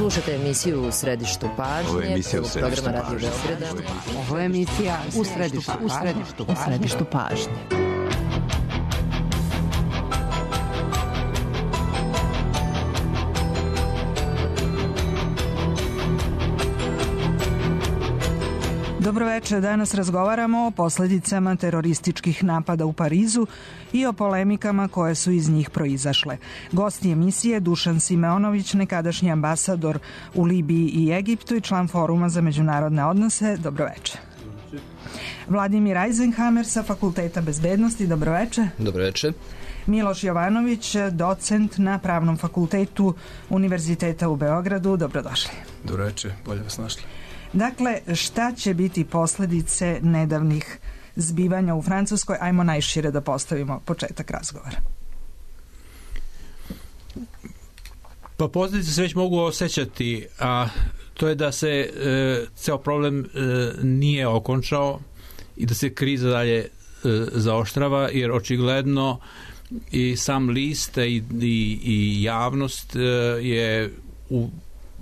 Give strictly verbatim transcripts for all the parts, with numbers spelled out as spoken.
Slušate emisiju U središtu pažnje. Ovo je emisija U središtu pažnje. Ovo je emisija U središtu pažnje. U središtu pažnje. Dobroveče, danas razgovaramo o posljedicama terorističkih napada u Parizu i o polemikama koje su iz njih proizašle. Gost emisije Dušan Simeonović, nekadašnji ambasador u Libiji i Egiptu i član Foruma za međunarodne odnose. Dobroveče. Vladimir Eisenhammer sa Fakulteta bezbednosti. Dobroveče. Dobroveče. Miloš Jovanović, docent na Pravnom fakultetu Univerziteta u Beogradu. Dobrodošli. Dobroveče, bolje vas našli. Dakle, šta će biti posljedice nedavnih zbivanja u Francuskoj? Ajmo najšire da postavimo početak razgovora. Pa posljedice se već mogu osjećati, a to je da se e, ceo problem e, nije okončao i da se kriza dalje e, zaoštrava, jer očigledno i sam list i, i, i javnost e, je u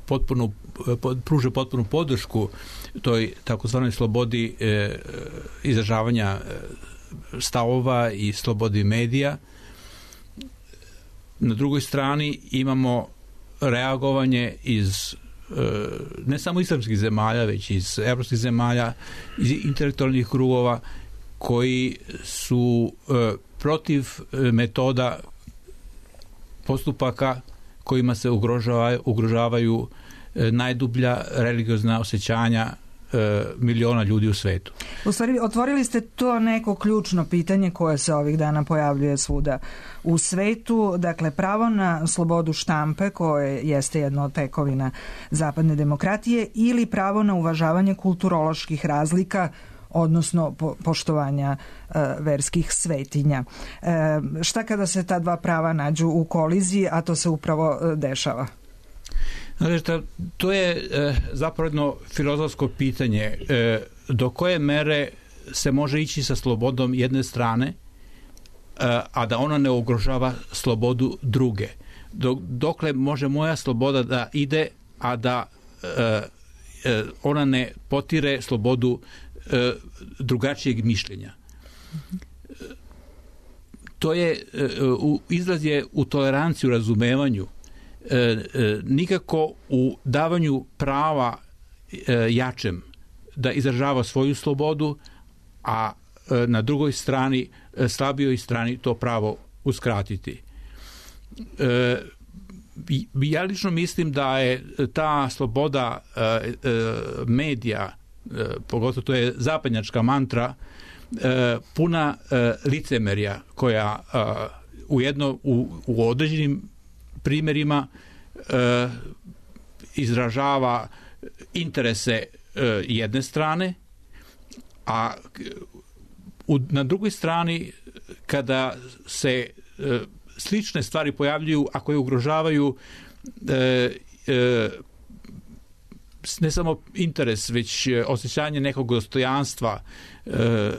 potpuno pruža potpunu podršku toj takozvanoj slobodi e, izražavanja stavova i slobodi medija. Na drugoj strani imamo reagovanje iz e, ne samo islamskih zemalja, već iz evropskih zemalja, iz intelektualnih krugova koji su e, protiv metoda postupaka kojima se ugrožava, ugrožavaju najdublja religiozna osjećanja e, miliona ljudi u svetu. U stvari, otvorili ste to neko ključno pitanje koje se ovih dana pojavljuje svuda u svetu, dakle pravo na slobodu štampe, koje jeste jedna od tekovina zapadne demokratije, ili pravo na uvažavanje kulturoloških razlika, odnosno po, poštovanja e, verskih svetinja. E, šta kada se ta dva prava nađu u koliziji, a to se upravo e, dešava? Znači, to je e, zapravo jedno filozofsko pitanje. E, do koje mere se može ići sa slobodom jedne strane, e, a da ona ne ugrožava slobodu druge? Dok, dokle može moja sloboda da ide, a da e, e, ona ne potire slobodu e, drugačijeg mišljenja? E, to je, e, u, izraz je u toleranciji, u razumevanju. E, e, nikako u davanju prava e, jačem da izražava svoju slobodu, a e, na drugoj strani, e, slabijoj strani to pravo uskratiti. E, ja lično mislim da je ta sloboda e, e, medija, e, pogotovo to je zapadnjačka mantra, e, puna e, licemerja koja e, u, jedno, u, u određenim primjerima e, izražava interese e, jedne strane, a u, na drugoj strani kada se e, slične stvari pojavljuju, a koje ugrožavaju e, e, ne samo interes, već osjećanje nekog dostojanstva, e,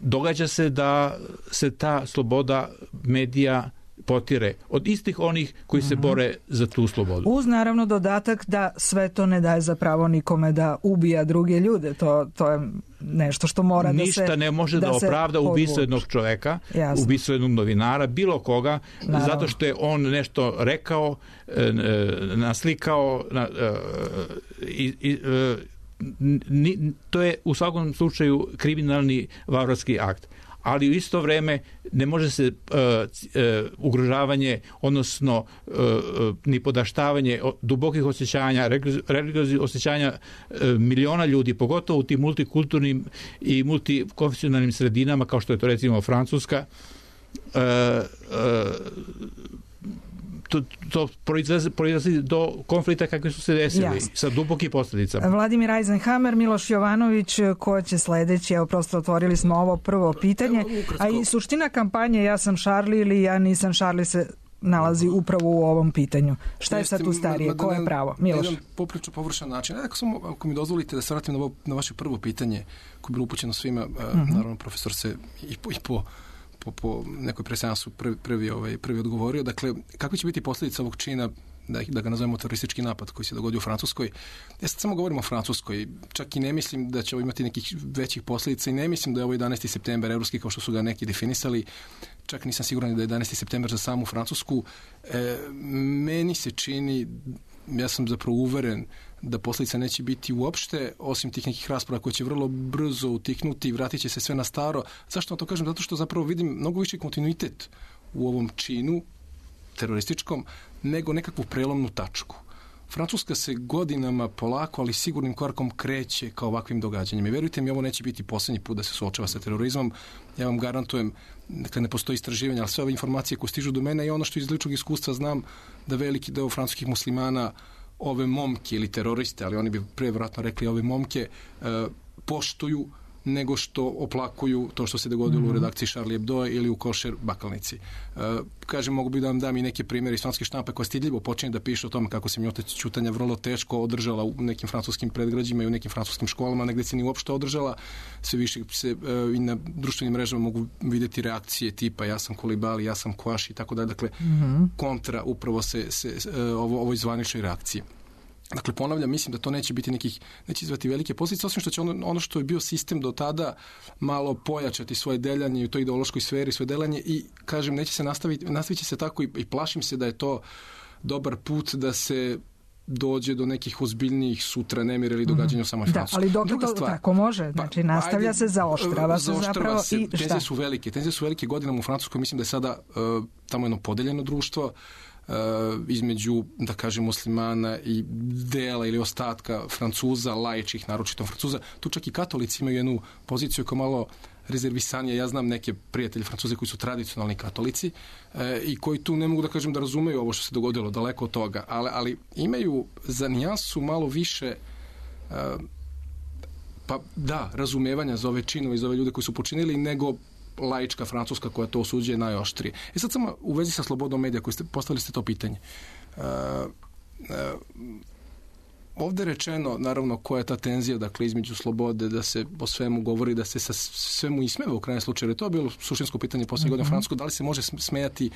događa se da se ta sloboda medija potire od istih onih koji se bore za tu slobodu. Uz naravno dodatak da sve to ne daje za pravo nikome da ubija druge ljude. To, to je nešto što mora Ništa da se... Ništa ne može da, da opravda ubistvo jednog čoveka, Jasno. ubistvo jednog novinara, bilo koga, naravno. Zato što je on nešto rekao, naslikao i, i, ni, to je u svakom slučaju kriminalni varvarski akt. Ali u isto vrijeme ne može se uh, uh, ugrožavanje, odnosno uh, uh, ni podaštavanje dubokih osjećanja, religioznih osjećanja uh, miliona ljudi, pogotovo u tim multikulturnim i multikonfesionalnim sredinama, kao što je to recimo Francuska, uh, uh, to, to proizlazi, proizlazi do konflikta kakvi su se desili, Jasne. Sa dubokim posljedicama. Vladimir Eisenhammer, Miloš Jovanović, ko će sledeći? Evo, prosto otvorili smo ovo prvo pitanje, a i suština kampanje ja sam Šarli ili ja nisam Šarli se nalazi upravo u ovom pitanju. Šta je sad tu starije? Ko je pravo? Miloš? Na jedan poprično površan način. Ako, sam, ako mi dozvolite da se vratim na, ovo, na vaše prvo pitanje koje je bilo upućeno svima, uh-huh. naravno profesor se i po, i po Po, po nekoj preseansu prvi, prvi, ovaj, prvi odgovorio. Dakle, kakve će biti posljedice ovog čina da, da ga nazovemo teroristički napad koji se dogodio u Francuskoj. Ja sad samo govorim o Francuskoj, čak i ne mislim da će ovo imati nekih većih posljedica i ne mislim da je ovo jedanaesti septembar evropski kao što su ga neki definisali, čak nisam siguran da je jedanaesti septembar za samu Francusku. E, meni se čini, ja sam zapravo uveren da posljedica neće biti uopšte, osim tih nekih rasprava koje će vrlo brzo utiknuti i vratit će se sve na staro. Zašto vam to kažem? Zato što zapravo vidim mnogo više kontinuitet u ovom činu terorističkom nego nekakvu prelomnu tačku. Francuska se godinama polako, ali sigurnim korakom kreće ka ovakvim događanjima. I verujte mi, ovo neće biti posljednji put da se suočava sa terorizmom. Ja vam garantujem, dakle ne postoji istraživanje, ali sve ove informacije koje stižu do mene i ono što iz ličnog iskustva znam da veliki deo francuskih muslimana ove momke ili teroriste, ali oni bi prevratno rekli ove momke, e, poštuju nego što oplakuju to što se dogodilo mm-hmm. u redakciji Charlie Hebdo ili u Košer Bakalnici. E, kažem, mogu bi da vam dam i neke primjere iz francuske štampe koja stidljivo počinje da piše o tome kako se minuta ćutanja vrlo teško održala u nekim francuskim predgrađima i u nekim francuskim školama, negdje se ni uopšte održala. Sve više se e, i na društvenim mrežama mogu vidjeti reakcije tipa ja sam Kolibali, ja sam Koaš i tako da. Dakle, mm-hmm. kontra upravo se, se e, ovo, ovoj zvaničnoj reakciji. Dakle, ponavljam, mislim da to neće biti nekih, neće izvati velike posljedice, osim što će ono, ono što je bio sistem do tada malo pojačati svoje deljanje u toj ideološkoj sferi, svoje deljanje i, kažem, neće se nastaviti, nastavit će se tako i, i plašim se da je to dobar put da se dođe do nekih ozbiljnijih sutra nemira ili događanja u samoj Francuskoj. Da, ali dok to stvar, tako može, znači pa, nastavlja ajde, se, zaoštrava se zapravo se, i šta? Tenzije su velike, tenzije su velike godinama u Francuskoj, mislim da je sada uh, tamo jedno podeljeno društvo, Uh, između, da kažem, muslimana i dela ili ostatka Francuza, laičkih, naročito Francuza. Tu čak i katolici imaju jednu poziciju koja malo rezervisanija. Ja znam neke prijatelje Francuze koji su tradicionalni katolici uh, i koji tu ne mogu da kažem da razumeju ovo što se dogodilo, daleko od toga, ali, ali imaju za nijansu malo više uh, pa da, razumevanja za ove činove i za ove ljude koji su počinili nego laička Francuska koja to osuđuje najoštrije. I sad samo u vezi sa slobodom medija koji ste postavili ste to pitanje. Uh, uh, ovdje je rečeno, naravno, koja je ta tenzija, dakle, između slobode, da se o svemu govori, da se sa svemu ismeva u krajnjem slučaju. To je bilo suštinsko pitanje posljednje mm-hmm. godine u Francuskoj, da li se može smejati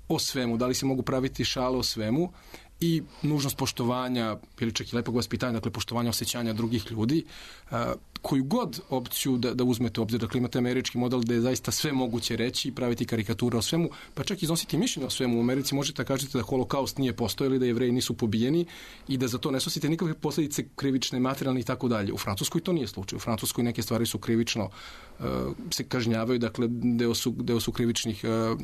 o svemu, da li se mogu praviti šale o svemu i nužnost poštovanja ili čak i lepog vaspitanja, dakle poštovanja osjećanja drugih ljudi, uh, koju god opciju da, da uzmete u obzir, dakle imate američki model gde je zaista sve moguće reći i praviti karikature o svemu, pa čak iznositi mišljenje o svemu. U Americi možete da kažete da holokaust nije postojao ili da Jevreji nisu pobijeni i da za to ne snosite nikakve posljedice krivične, materijalne i tako dalje. U Francuskoj to nije slučaj. U Francuskoj neke stvari su krivično uh, se kažnjavaju, dakle deo su, deo su krivičnih uh,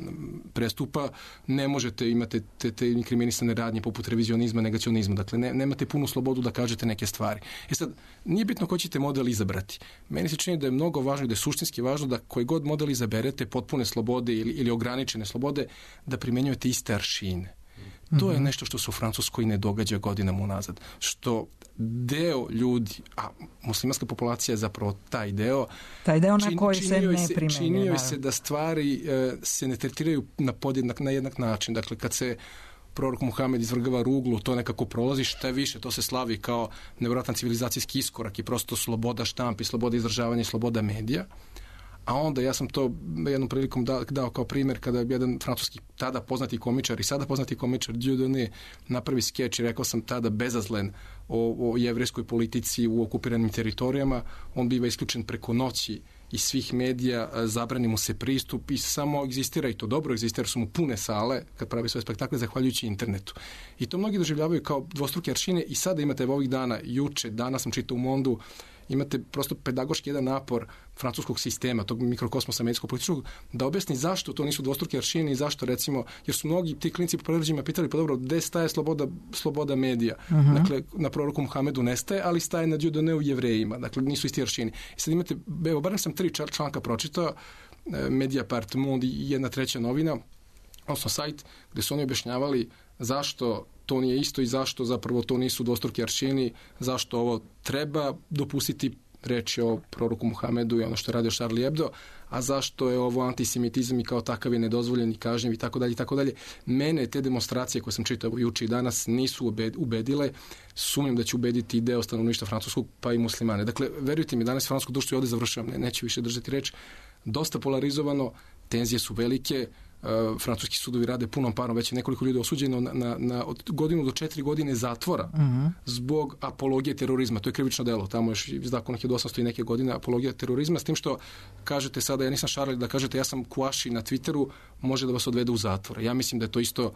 prestupa. Ne možete imate te, te inkriminisane radnje poput revizionizma, negacionizma. Dakle, ne, nemate punu slobodu da kažete neke stvari. E sad, nije bitno ko ćete model izabrati. Meni se čini da je mnogo važno i da je suštinski važno da koji god model izaberete, potpune slobode ili, ili ograničene slobode, da primjenjujete iste aršine. Mm-hmm. To je nešto što se u Francuskoj ne događa godinama unazad. Što deo ljudi, a muslimanska populacija je zapravo taj deo, taj deo na koji se ne primjenjuje. Činio se da stvari e, se ne tretiraju na podjednak, na jednak način. Dakle, kad se prorok Muhamed izvrgava ruglu, to nekako prolazi, šta je više, to se slavi kao nevjerojatan civilizacijski iskorak i prosto sloboda štampi, sloboda izražavanja i sloboda medija. A onda ja sam to jednom prilikom dao, dao kao primjer kada je jedan francuski tada poznati komičar i sada poznati komičar Dieudonné napravi skeč i rekao sam tada bezazlen o, o jevrejskoj politici u okupiranim teritorijama. On biva isključen preko noći iz svih medija, zabrani mu se pristup i samo egzistira, i to dobro egzistira, jer su mu pune sale kad pravi svoje spektakle zahvaljujući internetu. I to mnogi doživljavaju kao dvostruke aršine i sada imate ovih dana, juče, danas sam čitao u Mondu, imate prosto pedagoški jedan napor francuskog sistema, tog mikrokosmosa medijsko-političkog, da objasni zašto to nisu dvostruke aršine i zašto, recimo, jer su mnogi ti klinci po predgrađima pitali, pa dobro, gde staje sloboda, sloboda medija? Uh-huh. Dakle, na proroku Muhamedu nestaje, ali staje na Dieudonné u Jevrejima. Dakle, nisu isti aršini. I sad imate, evo, barem sam tri članka pročitao, Mediapart, Monde i jedna treća novina, odnosno sajt, gde su oni objašnjavali zašto to nije isto i zašto zapravo to nisu dvostruki aršini, zašto ovo treba dopustiti, reći o proroku Muhamedu i ono što je radio Charlie Hebdo, a zašto je ovo antisemitizam i kao takav je nedozvoljen i kažnjiv i tako dalje i tako dalje. Mene te demonstracije koje sam čitao juče i danas nisu ubedile. Sumnjam da će ubediti i deo stanovništva francuskog, pa i muslimane. Dakle, verujte mi, danas francusko društvo, i ovdje završavam, ne, neću više držati reč, dosta polarizovano, tenzije su velike, Uh, francuski sudovi rade punom parom, već je nekoliko ljudi osuđeno na, na, na od godinu do četiri godine zatvora uh-huh. zbog apologije terorizma. To je krivično delo. Tamo još iz zakona hiljadu osamsto i neke godine apologija terorizma, s tim što kažete sada, ja nisam Charlie, da kažete ja sam Kouachi na Twitteru, može da vas odvede u zatvor. Ja mislim da je to isto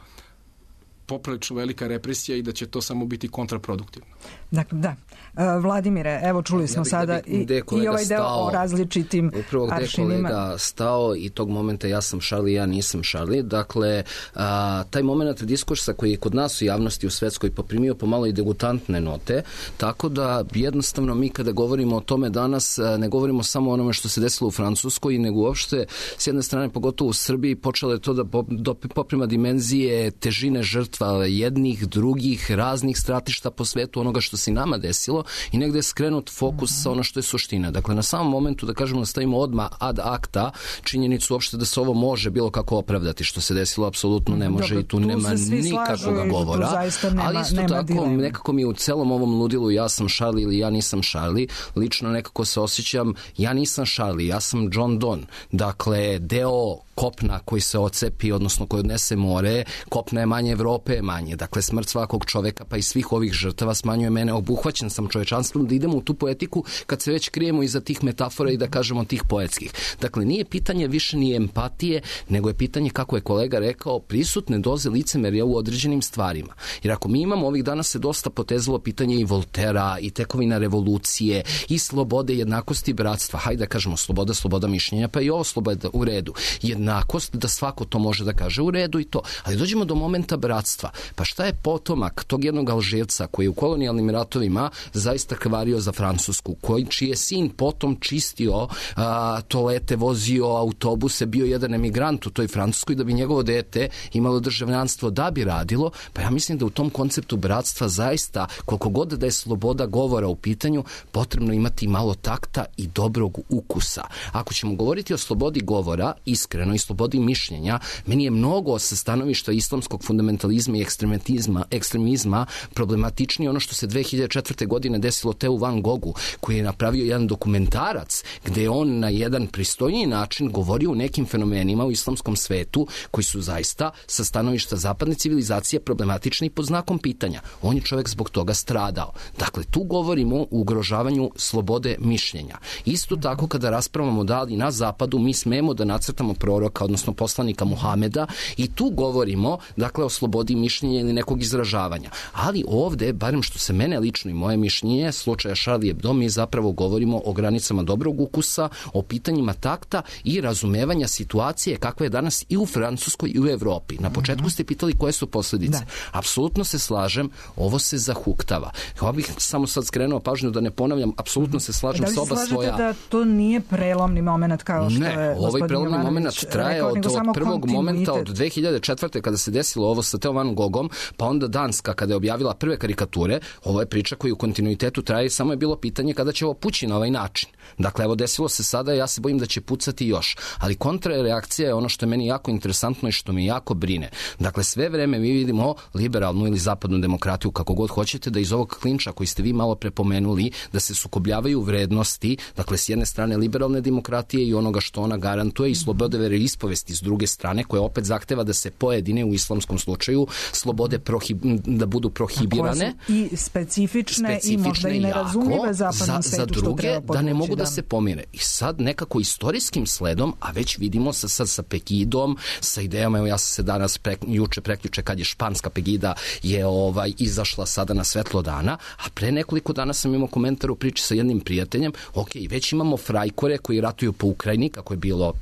poprilično velika represija i da će to samo biti kontraproduktivno. Dakle, da. Uh, Vladimire, evo čuli smo ja bih, sada i, i ovaj deo stao, o različitim upravo gde aršinima. Upravo kolega stao i tog momenta ja sam Charlie, ja nisam Charlie. Dakle, a, taj moment diskursa koji je kod nas u javnosti u svetskoj poprimio pomalo i degutantne note, tako da jednostavno mi kada govorimo o tome danas ne govorimo samo o onome što se desilo u Francuskoj, nego uopšte s jedne strane, pogotovo u Srbiji, počelo je to da poprima dimenzije težine žrtva jednih, drugih, raznih stratišta po svetu, onoga što se nama desilo i negde je skrenut fokus sa ono što je suština. Dakle, na samom momentu da kažemo da stavimo odmah ad acta činjenicu uopšte da se ovo može bilo kako opravdati, što se desilo apsolutno ne može. Dobro, i tu, tu nema nikakvog govora. Nema, ali isto tako, dilema. Nekako mi u celom ovom ludilu ja sam Charlie ili ja nisam Charlie, lično nekako se osjećam, ja nisam Charlie, ja sam John Donne. Dakle, deo kopna koji se ocepi, odnosno koji odnese more, kopna je manje, Evrope je manje. Dakle, smrt svakog čoveka pa i svih ovih žrtava smanjuje mene, obuhvaćen sam čovečanstvom, da idemo u tu poetiku kad se već krijemo iza tih metafora i da kažemo tih poetskih. Dakle, nije pitanje više ni empatije, nego je pitanje, kako je kolega rekao, prisutne doze licemerja u određenim stvarima. Jer ako mi imamo, ovih dana se dosta potezalo pitanje i Voltera, i tekovina revolucije, i slobode, jednakosti, bratstva. Hajde da kažemo sloboda, sloboda mišljenja, pa i ovo sloboda u redu. Jednakost, da svako to može da kaže u redu i to. Ali dođemo do momenta bratstva. Pa šta je potomak tog jednog Alžirca koji je u kolonijalnim ratovima zaista krvario za Francusku, koji čiji je sin potom čistio a, toalete, vozio autobuse, bio jedan emigrant u toj Francuskoj da bi njegovo dete imalo državljanstvo da bi radilo, pa ja mislim da u tom konceptu bratstva zaista, koliko god da je sloboda govora u pitanju, potrebno imati malo takta i dobrog ukusa. Ako ćemo govoriti o slobodi govora, iskreno, i slobodi mišljenja, meni je mnogo sa stanovišta islamskog fundamentalizma i ekstremizma, ekstremizma problematičnije ono što se dve hiljade četvrte. godine desilo Theo Van Goghu, koji je napravio jedan dokumentarac gde je on na jedan pristojniji način govorio o nekim fenomenima u islamskom svetu koji su zaista sa stanovišta zapadne civilizacije problematični pod znakom pitanja. On je čovjek zbog toga stradao. Dakle, tu govorimo o ugrožavanju slobode mišljenja. Isto tako kada raspravamo da li na zapadu mi smemo da nacrtamo proroka, odnosno poslanika Muhameda, i tu govorimo, dakle, o slobodi mišljenja ili nekog izražavanja. Ali ovde, barem što se mene lično i moje mišljenje, slučaja Charlie Hebdo, mi zapravo govorimo o granicama dobrog ukusa, o pitanjima takta i razumevanja situacije kakva je danas i u Francuskoj i u Evropi. Na početku ste pitali koje su posljedice. Da. Apsolutno se slažem, ovo se zahuktava. Ovo bih samo sad skrenuo pažnju da ne ponavljam, apsolutno se slažem s oba svoja... Da li se slažete da to nije prelomni moment kao što ne, je gospodin ovaj prelomni moment traje od, od prvog momenta od dve hiljade četvrte. kada se desilo ovo sa Theo Van Goghom, pa onda Danska kada je objavila prve karikature. Ovo je priča koja u kontinuitetu traje, samo je bilo pitanje kada će ovo pući na ovaj način. Dakle, evo desilo se sada, ja se bojim da će pucati još. Ali kontrareakcija je ono što je meni jako interesantno i što me jako brine. Dakle, sve vreme mi vidimo liberalnu ili zapadnu demokratiju, kako god hoćete, da iz ovog klinča koji ste vi malo prepomenuli, da se sukobljavaju vrednosti, dakle, s jedne strane liberalne demokratije i onoga što ona garantuje i slobode veroispovesti s druge strane, koja opet zahteva da se pojedine u islamskom slučaju slobode prohib, da budu prohibirane. I specifične, specifične i možda i nerazumljive zapadnom za, za druge, da ne mogu da se pomire. I sad nekako istorijskim sledom, a već vidimo sa, sa, sa Pegidom, sa idejama, evo ja sam se danas pre, juče, preključe, kad je španska Pegida je ovaj izašla sada na svetlo dana, a pre nekoliko dana sam imao komentar u priči sa jednim prijateljem, ok, već imamo frajkore koji ratuju po Ukrajini, kako je bilo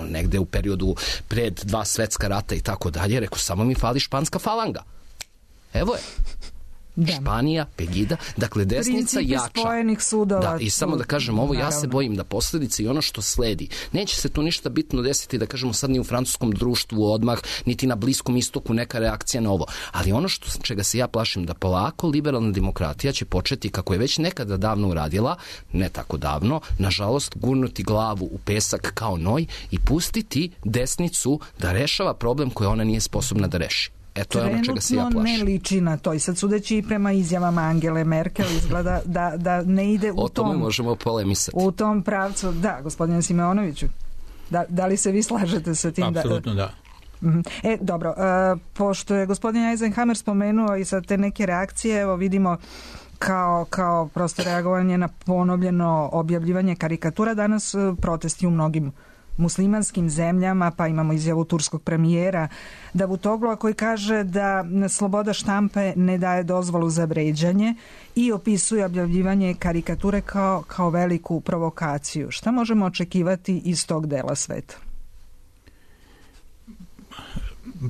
negde u periodu pred dva svetska rata i tako dalje, rekao, samo mi fali španska falanga. Evo je. Da. Španija, Pegida, dakle desnica principi jača. Spojenih sudova. Da, i samo da kažem ovo, naravno. Ja se bojim da posljedice i ono što sledi, neće se tu ništa bitno desiti, da kažemo sad ni u francuskom društvu odmah, niti na Bliskom istoku neka reakcija na ovo. Ali ono što, čega se ja plašim, da polako liberalna demokratija će početi, kako je već nekada davno uradila, ne tako davno, nažalost, gurnuti glavu u pesak kao noj i pustiti desnicu da rešava problem koji ona nije sposobna da reši. E, to je ono čega se ja plašim. Trenutno ne liči na to i sad sudeći i prema izjavama Angele Merkel izgleda da, da ne ide u tom... O tome možemo polemisati. U tom pravcu, da, gospodine Simeonoviću, da, da li se vi slažete sa tim? Apsolutno da. E, dobro, e, pošto je gospodin Eisenhammer spomenuo i sad te neke reakcije, evo vidimo kao, kao prosto reagovanje na ponovljeno objavljivanje karikatura, danas protesti u mnogim muslimanskim zemljama, pa imamo izjavu turskog premijera Davutoglua koji kaže da sloboda štampe ne daje dozvolu za vređanje i opisuje objavljivanje karikature kao, kao veliku provokaciju. Šta možemo očekivati iz tog dela sveta?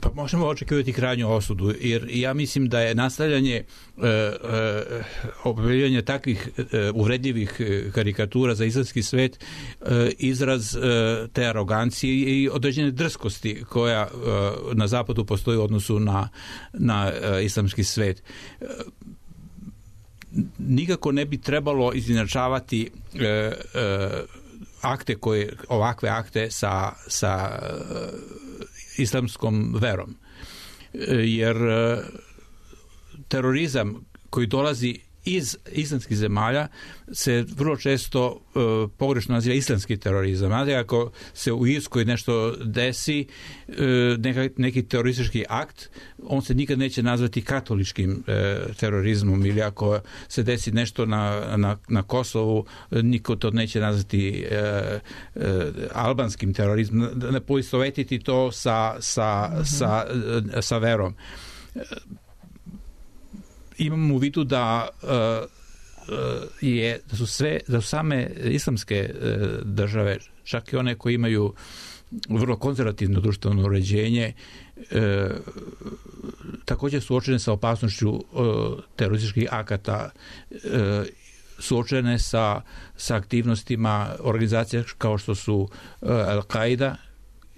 Pa možemo očekivati krajnju osudu, jer ja mislim da je nastavljanje e, e, objavljivanja takvih e, uvredljivih karikatura za islamski svet e, izraz e, te arogancije i određene drskosti koja e, na zapadu postoji u odnosu na, na e, islamski svet. E, nikako ne bi trebalo izjednačavati e, e, akte koje, ovakve akte sa, sa islamskom verom. Jer terorizam koji dolazi iz islamskih zemalja se vrlo često uh, pogrešno naziva islamski terorizam. Znate, ako se u Irskoj nešto desi, uh, neka, neki teroristički akt, on se nikad neće nazvati katoličkim uh, terorizmom, ili ako se desi nešto na, na, na Kosovu, niko to neće nazvati uh, uh, albanskim terorizmom. Ne poistovetiti to sa, sa, mm-hmm. sa, uh, sa verom. Imamo u vidu da uh, je da su sve da su same islamske uh, države, čak i one koje imaju vrlo konzervativno društveno uređenje, uh, također suočene sa opasnošću uh, terorističkih akata, uh, suočene sa, sa aktivnostima organizacija kao što su uh, Al-Qaida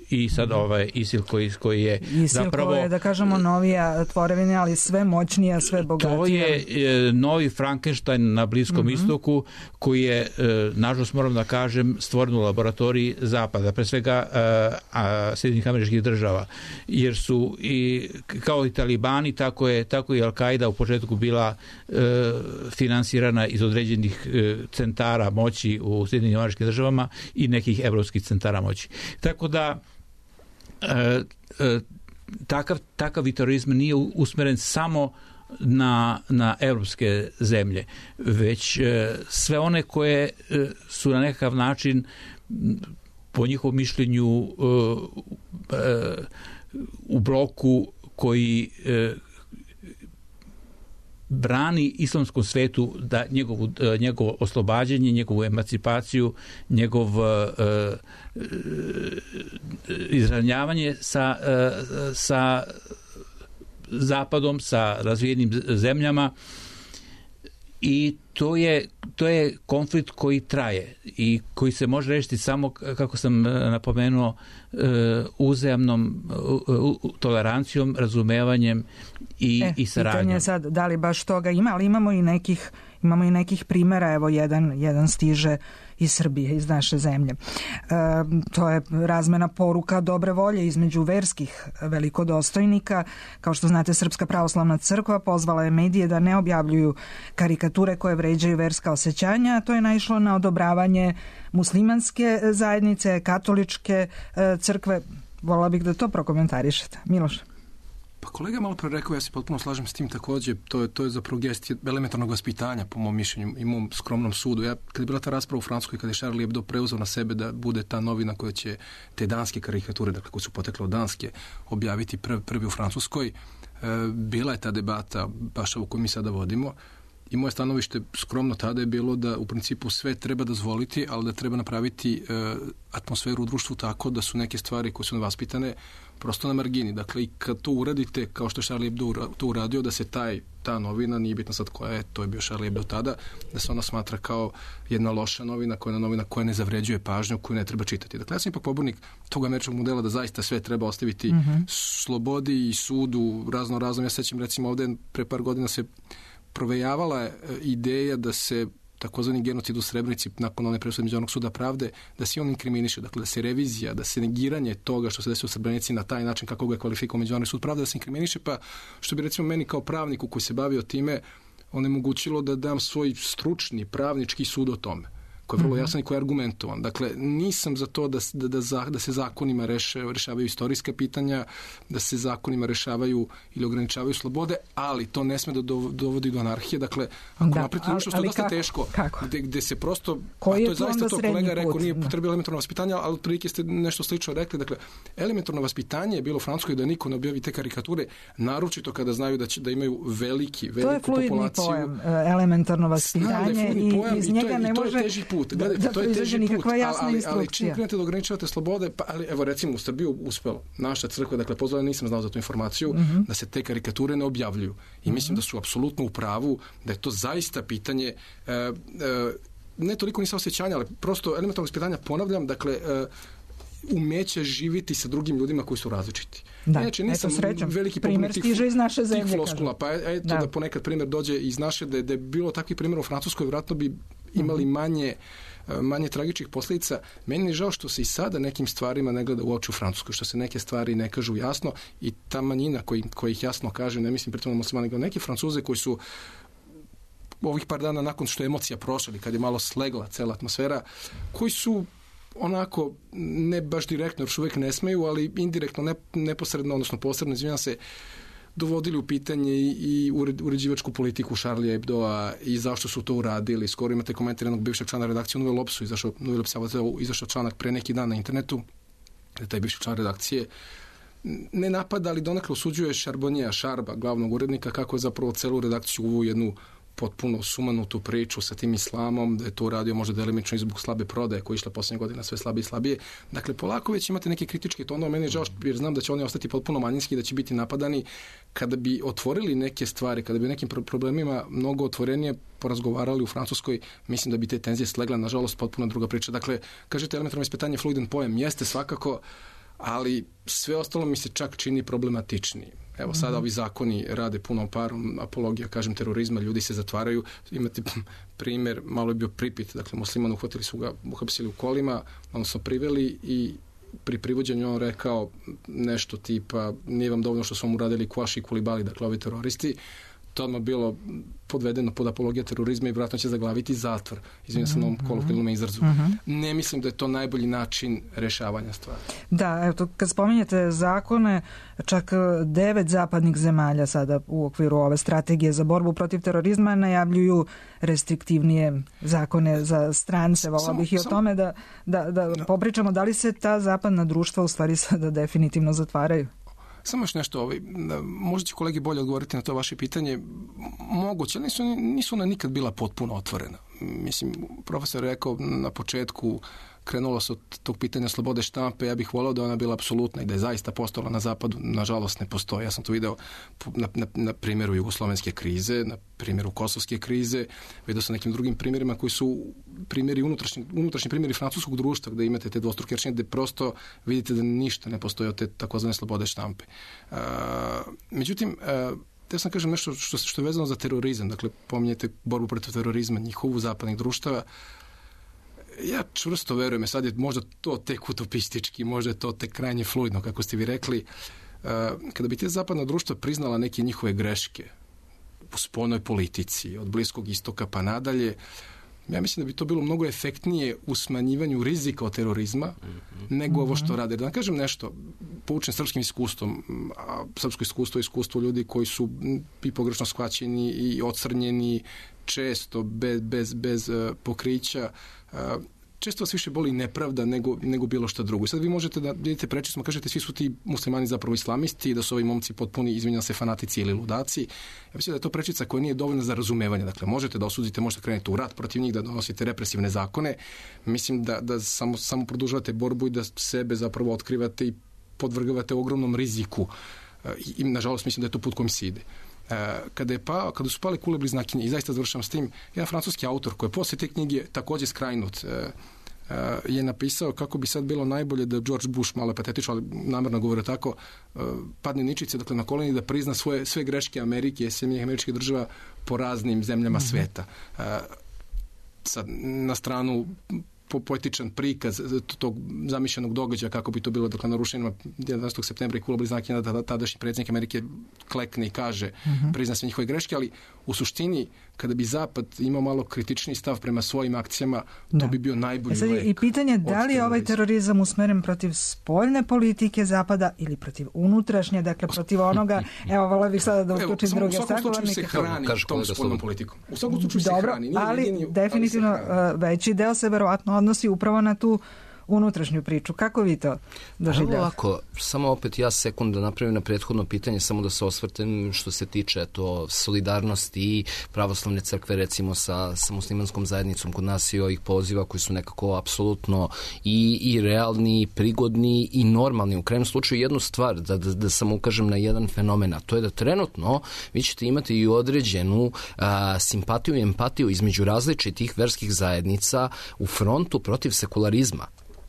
i sad ovaj ISIL koji, koji je ISIL zapravo... koji je, da kažemo, novija tvorevina, ali sve moćnija, sve bogatija. To je e, novi Frankenstein na Bliskom mm-hmm. istoku, koji je, e, nažalost moram da kažem, stvoren u laboratoriji Zapada, pre svega Sjedinjenih Američkih Država, jer su i kao i talibani, tako je tako i Al-Qaida u početku bila e, finansirana iz određenih e, centara moći u Sjedinjenim Američkim Državama i nekih evropskih centara moći. Tako da E, e, takav, takav terorizam nije usmeren samo na, na evropske zemlje, već e, sve one koje e, su na nekakav način po njihovom mišljenju e, e, u bloku koji e, brani islamskom svetu da njegovu, njegovo oslobađanje, njegovu emancipaciju, njegov uh, izravnjavanje sa, uh, sa zapadom, sa razvijenim zemljama, i to je, to je konflikt koji traje i koji se može rešiti samo, kako sam napomenuo, uzajamnom tolerancijom, razumevanjem i, e, i saradnjom. Pitanje je sad da li baš toga ima, ali imamo i nekih, imamo i nekih primjera, evo jedan, jedan stiže iz Srbije, iz naše zemlje. E, to je razmena poruka dobre volje između verskih velikodostojnika. Kao što znate, Srpska pravoslavna crkva pozvala je medije da ne objavljuju karikature koje vređaju verska osjećanja, a to je naišlo na odobravanje muslimanske zajednice, katoličke crkve. Volila bih da to prokomentarišete. Miloš? Pa kolega malo pre rekao, ja se potpuno slažem s tim također, to je, to je zapravo gest elementarnog vaspitanja, po mom mišljenju i mom skromnom sudu. Ja, kad je bila ta rasprava u Francuskoj, kada je Charlie Hebdo preuzeo na sebe da bude ta novina koja će te danske karikature, dakle koje su potekle od Danske, objaviti prvi, prvi u Francuskoj, e, bila je ta debata, baš ovu koju mi sada vodimo, i moje stanovište skromno tada je bilo da u principu sve treba dozvoliti, ali da treba napraviti e, atmosferu u društvu tako da su neke stvari koje su nevaspitane prosto na margini. Dakle, i kad to uradite, kao što je Charlie Hebdo to uradio, da se taj, ta novina, nije bitno sad koja je, to je bio Charlie Hebdo tada, da se ona smatra kao jedna loša novina, koja je novina koja ne zavređuje pažnju, koju ne treba čitati. Dakle, ja sam ipak pobornik tog američkog modela da zaista sve treba ostaviti mm-hmm. slobodi i sudu, razno razno. Ja sećam, recimo, ovde pre par godina se provejavala je ideja da se takozvani genocid u Srebrenici nakon one presude Međunarodnog suda pravde, da se on inkriminiše, dakle da se revizija, da se negiranje toga što se desilo u Srebrenici na taj način kako ga je kvalifikovao Međunarodni sud pravde, da se inkriminiše, pa što bi recimo meni kao pravniku koji se bavio time onemogućilo da dam svoj stručni pravnički sud o tome. koji je vrlo jasan i koji je argumentovan. Dakle, nisam za to da, da, da, da se zakonima reše, rešavaju istorijska pitanja, da se zakonima rešavaju ili ograničavaju slobode, ali to ne sme da dovodi do anarhije. Dakle, ako da, napravite nešto što je dosta kako? teško, Kako? Gde, gde se prosto, koji a to je zaista to kolega rekao, put? nije potrebilo elementarno vaspitanje, ali otprilike ste nešto slično rekli. Dakle, elementarno vaspitanje je bilo u Francuskoj da niko ne objavi te karikature, naročito kada znaju da će da imaju veliki, veliku populaciju. To je fluidni pojam, elementarno vaspitanje i pojam, iz i njega je, ne može to je teži put. da, Gledajte, da to je teži put, nikakva jasna ali, instrukcija. ali čim krenete da ograničavate slobode, pa ali evo recimo u Srbiji uspelo. Naša crkva, dakle pozvala, nisam znao za tu informaciju, mm-hmm. da se te karikature ne objavljuju. I mislim mm-hmm. da su apsolutno u pravu, da je to zaista pitanje e, e, ne toliko ni saosećanja, ali prosto elementarnog vaspitanja, ponavljam, dakle e, umeće živiti sa drugim ljudima koji su različiti. Da, Inače, nisam eto srećom. veliki Primer stiže iz naše zemlje. Tih floskula, pa eto da. da ponekad primjer dođe iz naše, da je, da je bilo takvih primjera u Francuskoj, vjerojatno bi imali manje manje tragičnih posljedica. Meni je žao što se i sada nekim stvarima ne gleda u oči u Francuskoj, što se neke stvari ne kažu jasno i ta manjina koji, koji ih jasno kaže, ne mislim pritom na muslimani, nego neki Francuze koji su ovih par dana nakon što je emocija prošla, kad je malo slegla cela atmosfera, koji su onako, ne baš direktno, još uvijek ne smeju, ali indirektno, ne, neposredno, odnosno posredno, izvinjam se, dovodili u pitanje i, i uređivačku politiku Charlie Hebdoa i zašto su to uradili. Skoro imate komentar jednog bivšeg člana redakcije u Nouvelle Obsu, izašao, izašao članak pre neki dan na internetu, da taj bivši član redakcije ne napada, ali donekle osuđuje Charbonnija, Šarba, glavnog urednika, kako je zapravo celu redakciju uvu jednu potpuno sumanutu priču sa tim islamom, da je to uradio možda delimično i zbog slabe prodaje koja je išla posljednje godina sve slabije i slabije. Dakle, polako već imate neke kritičke tonove, meni je žao jer znam da će oni ostati potpuno manjinski, da će biti napadani. Kada bi otvorili neke stvari, kada bi nekim problemima mnogo otvorenije porazgovarali u Francuskoj, mislim da bi te tenzije slegle, nažalost, potpuno druga priča. Dakle, kažete elementarno ispitanje, fluidan pojam, jeste svakako, ali sve ostalo mi se čak čini problematičniji. Evo, sada mm-hmm. ovi zakoni rade punom parom, apologija, kažem, terorizma, ljudi se zatvaraju. Imate primjer, malo je bio Pripit, dakle, musliman, uhvatili su ga, uhapsili u kolima, odnosno priveli i pri privođenju on rekao nešto tipa, nije vam dovoljno što su vam uradili Kvaši i Kulibali, dakle, ovi teroristi. To odmah bilo podvedeno pod apologija terorizma i vjerojatno će zaglaviti zatvor. Izvinjam se na ovom kolokvijalnom izrazu. Mm-hmm. Ne mislim da je to najbolji način rešavanja stvari. Da, evo, kad spominjete zakone, čak devet zapadnih zemalja sada u okviru ove strategije za borbu protiv terorizma najavljuju restriktivnije zakone za strance. Volao bih i o tome da, da, da no. popričamo da li se ta zapadna društva u stvari sada definitivno zatvaraju. Samo još nešto, ovaj, možda će kolegi bolje odgovoriti na to vaše pitanje. Moguće, nisu, nisu ona nikad bila potpuno otvorena. Mislim, profesor je rekao na početku, krenulo se od tog pitanja slobode štampe, ja bih volao da ona bila apsolutna i da je zaista postojala na zapadu, nažalost ne postoji. Ja sam to video na, na, na primjeru jugoslovenske krize, na primjeru kosovske krize, vidio sam nekim drugim primjerima koji su primjeri unutrašnji, unutrašnji primjeri francuskog društva gdje imate te dvostruke aršine, gdje prosto vidite da ništa ne postoji od te takozvane slobode štampe. Uh, međutim, uh, ja sam kažem nešto što, što je vezano za terorizam, dakle pominjete borbu protiv terorizma, njihovu zapadnih društava. Ja čvrsto verujem, sad je možda to tek utopistički, možda je to tek krajnje fluidno, kako ste vi rekli. Kada bi te zapadna društva priznala neke njihove greške u spoljnoj politici, od Bliskog istoka pa nadalje, ja mislim da bi to bilo mnogo efektnije u smanjivanju rizika od terorizma mm-hmm. nego ovo što rade. Da vam kažem nešto, poučen srpskim iskustvom, a srpsko iskustvo je iskustvo ljudi koji su i pogrešno shvaćeni i ocrnjeni, često bez, bez, bez uh, pokrića. Uh, često vas više boli nepravda nego, nego bilo što drugo. I sad vi možete da vidite prečismo, kažete svi su ti muslimani zapravo islamisti i da su ovi momci potpuni, izvinjam se, fanatici ili ludaci. Ja mislim da je to prečica koja nije dovoljna za razumevanje. Dakle, možete da osudite, možete krenete u rat protiv njih, da donosite represivne zakone. Mislim da, da samo, samo produžavate borbu i da sebe zapravo otkrivate i podvrgavate ogromnom riziku. I, i nažalost, mislim da je to put kojim se ide. Kada, je pa, kada su pale kule bliznakinje, i zaista završam s tim, jedan francuski autor koji je poslije te knjige također skrajnut, je napisao kako bi sad bilo najbolje da George Bush, malo je patetično, ali namjerno govore tako, padne ničice, dakle na koleni, da prizna svoje, sve greške Amerike, Sjedinjenih Američkih Država po raznim zemljama mm-hmm. sveta. Sad, na stranu po poetičan prikaz tog zamišljenog događaja kako bi to bilo, dakle na rušenjima jedanaestog septembra i kula bliznakinja, da tadašnji predsjednik Amerike klekne i kaže mm-hmm. prizna sve njihove greške, ali u suštini, kada bi Zapad imao malo kritični stav prema svojim akcijama, to da. bi bio najbolji e lek. I pitanje da li je ovaj terorizam usmeren protiv spoljne politike Zapada ili protiv unutrašnje, dakle protiv onoga, evo, volio bih sada da uključim druge sagovornike. U svakom slučaju se hrani tom spoljnom politikom. U svakom slučaju se hrani. Nije ali jedini, definitivno ali se veći deo se verovatno odnosi upravo na tu unutrašnju priču. Kako vi to doživljavate? Ovako, samo opet ja sekund da napravim na prethodno pitanje, samo da se osvrtem što se tiče to solidarnosti i pravoslavne crkve recimo sa, sa muslimanskom zajednicom kod nas i ovih poziva koji su nekako apsolutno i, i realni, i prigodni i normalni. U krajnjem slučaju jednu stvar, da, da, da samo ukažem na jedan fenomen, a to je da trenutno vi ćete imati i određenu a, simpatiju i empatiju između različitih verskih zajednica u frontu protiv sekularizma,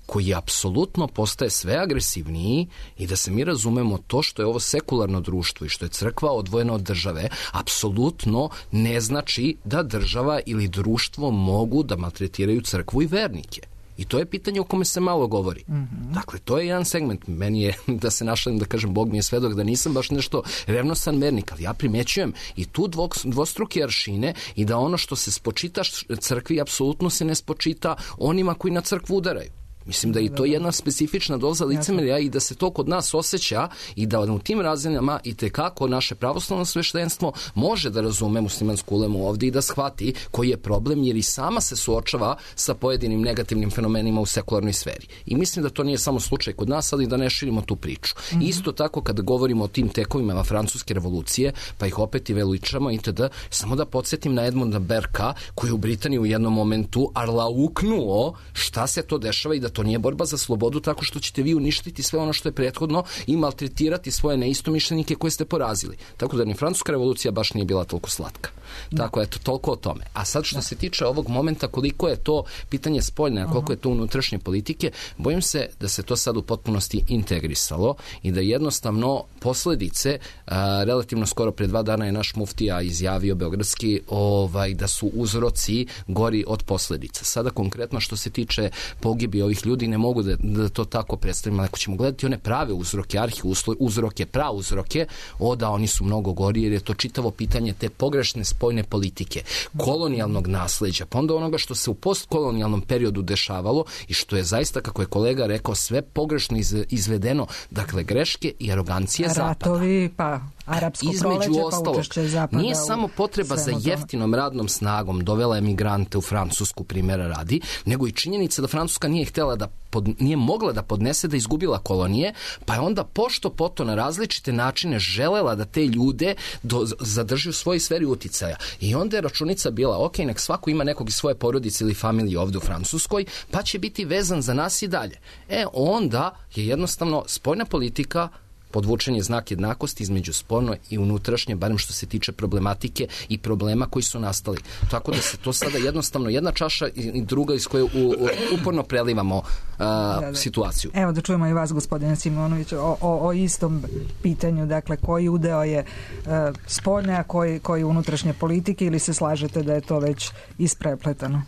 koji apsolutno postaje sve agresivniji i da se mi razumemo to što je ovo sekularno društvo i što je crkva odvojena od države, apsolutno ne znači da država ili društvo mogu da maltretiraju crkvu i vernike. I to je pitanje o kome se malo govori. Mm-hmm. Dakle, to je jedan segment. Meni je, da se našalim, da kažem, Bog mi je svedok da nisam baš nešto revnosan vernik, ali ja primećujem i tu dvostruke aršine i da ono što se spočita crkvi apsolutno se ne spočita onima koji na crkvu udaraju. Mislim da je to jedna specifična doza licemerja i da se to kod nas osjeća i da u tim razinama i tekako naše pravoslavno sveštenstvo može da razume muslimansku ulemu ovdje i da shvati koji je problem, jer i sama se suočava sa pojedinim negativnim fenomenima u sekularnoj sferi. I mislim da to nije samo slučaj kod nas, ali da ne širimo tu priču. Mm-hmm. Isto tako kada govorimo o tim tekovima francuske revolucije, pa ih opet i veličamo itd. Samo da podsjetim na Edmunda Berka, koji je u Britaniji u jednom momentu arlauknuo šta se to dešava i da to nije borba za slobodu tako što ćete vi uništiti sve ono što je prethodno i maltretirati svoje neistomišljenike koje ste porazili. Tako da ni francuska revolucija baš nije bila toliko slatka. Tako, eto, toliko o tome. A sad što se tiče ovog momenta, koliko je to pitanje spoljne, a koliko je to unutrašnje politike, bojim se da se to sad u potpunosti integrisalo i da jednostavno posledice, a, relativno skoro pre dva dana je naš muftija izjavio beogradski ovaj, da su uzroci gori od posledica. Sada konkretno što se tiče pogibi ovih ljudi, ne mogu da, da to tako predstavimo. Ako ćemo gledati one prave uzroke, arhi uzroke, pra uzroke, o da oni su mnogo gori, jer je to čitavo pitanje te pogrešne spoljne politike, kolonijalnog nasleđa, pa onda onoga što se u postkolonijalnom periodu dešavalo i što je zaista, kako je kolega rekao, sve pogrešno iz, izvedeno. Dakle, greške i arogancije Zapada. Ratovi, pa arapsko proleće, pa učešće Zapada. Nije samo potreba za jeftinom radnom snagom dovela emigrante u Francusku, primjera radi, nego i činjenica da Francuska nije htjela da pod, nije mogla da podnese da izgubila kolonije, pa je onda pošto poto na različite načine želela da te ljude do, zadrži u svojoj sferi uticaja. I onda je računica bila, ok, nek svako ima nekog iz svoje porodice ili familije ovdje u Francuskoj, pa će biti vezan za nas i dalje. E, onda je jednostavno spoljna politika podvučen je znak jednakosti između spoljno i unutrašnje, barem što se tiče problematike i problema koji su nastali. Tako da se to sada jednostavno jedna čaša i druga iz koje u, u, uporno prelivamo a, da, da. situaciju. Evo da čujemo i vas, gospodine Simonović, o, o, o istom pitanju, dakle koji udeo je a, spoljne, a koji, koji unutrašnje politike, ili se slažete da je to već isprepletano?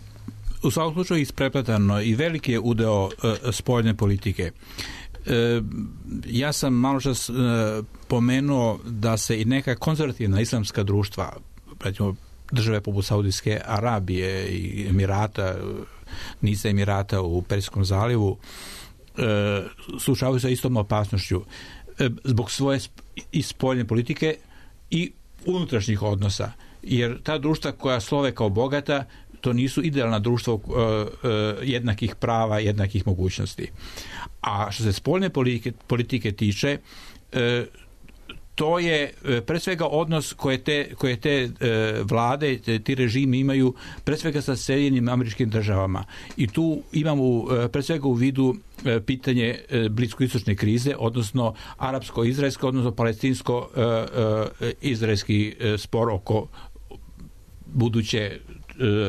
U svakom slučaju isprepletano i veliki je udeo uh, spoljne politike. E, ja sam malo čas e, pomenuo da se i neka konzervativna islamska društva, recimo države poput Saudijske Arabije i Emirata, niza Emirata u Perzijskom zalivu, e, suočavaju sa istom opasnošću e, zbog svoje i spoljne politike i unutrašnjih odnosa. Jer ta društva koja slove kao bogata, to nisu idealna društva uh, uh, jednakih prava, jednakih mogućnosti. A što se spoljne politike, politike tiče, uh, to je uh, pre svega odnos koje te, koje te uh, vlade, te, ti režimi imaju pre svega sa Sjedinjenim Američkim Državama. I tu imamo uh, pre svega u vidu uh, pitanje uh, bliskoistočne krize, odnosno arapsko-izraelsko, odnosno palestinsko-izraelski uh, uh, spor oko buduće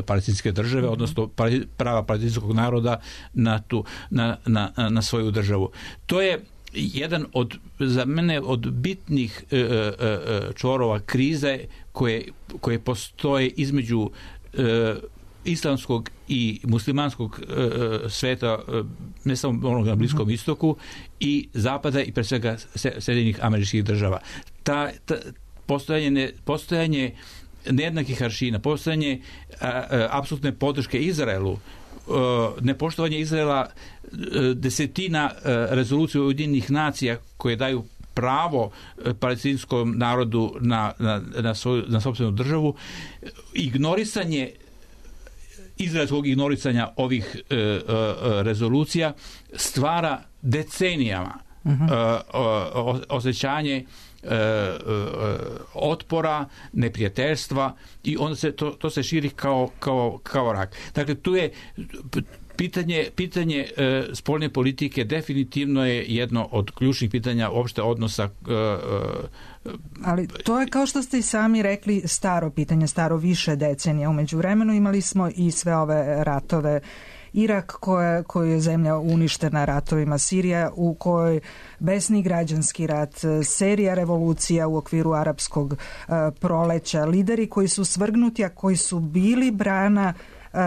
palestinske države, mm-hmm. odnosno prava palestinskog naroda na, tu, na, na, na svoju državu. To je jedan od, za mene, od bitnih e, e, čvorova krize koje, koje postoje između e, islamskog i muslimanskog e, sveta, e, ne samo onog na Bliskom mm-hmm. istoku, i Zapada i pre svega Sjedinjenih Američkih Država. Ta, ta postojanje, postojanje nejednakih aršina, postojanje apsolutne podrške Izraelu, nepoštovanje Izraela desetina rezolucija Ujedinjenih nacija koje daju pravo palestinskom narodu na, na, na, svoju, na sopstvenu državu, ignorisanje izraelskog ignorisanja ovih e, e, rezolucija stvara decenijama uh-huh. e, o, osjećanje e, e, otpora, neprijateljstva i onda se to, to se širi kao, kao, kao rak. Dakle, tu je pitanje, pitanje e, spoljne politike definitivno je jedno od ključnih pitanja opšte odnosa e, e, ali to je, kao što ste i sami rekli, staro pitanje, staro više decenija. U međuvremenu imali smo i sve ove ratove. Irak koje, koji je zemlja uništena ratovima, Sirija u kojoj besni građanski rat, serija revolucija u okviru arapskog uh, proleća, lideri koji su svrgnuti, a koji su bili brana uh,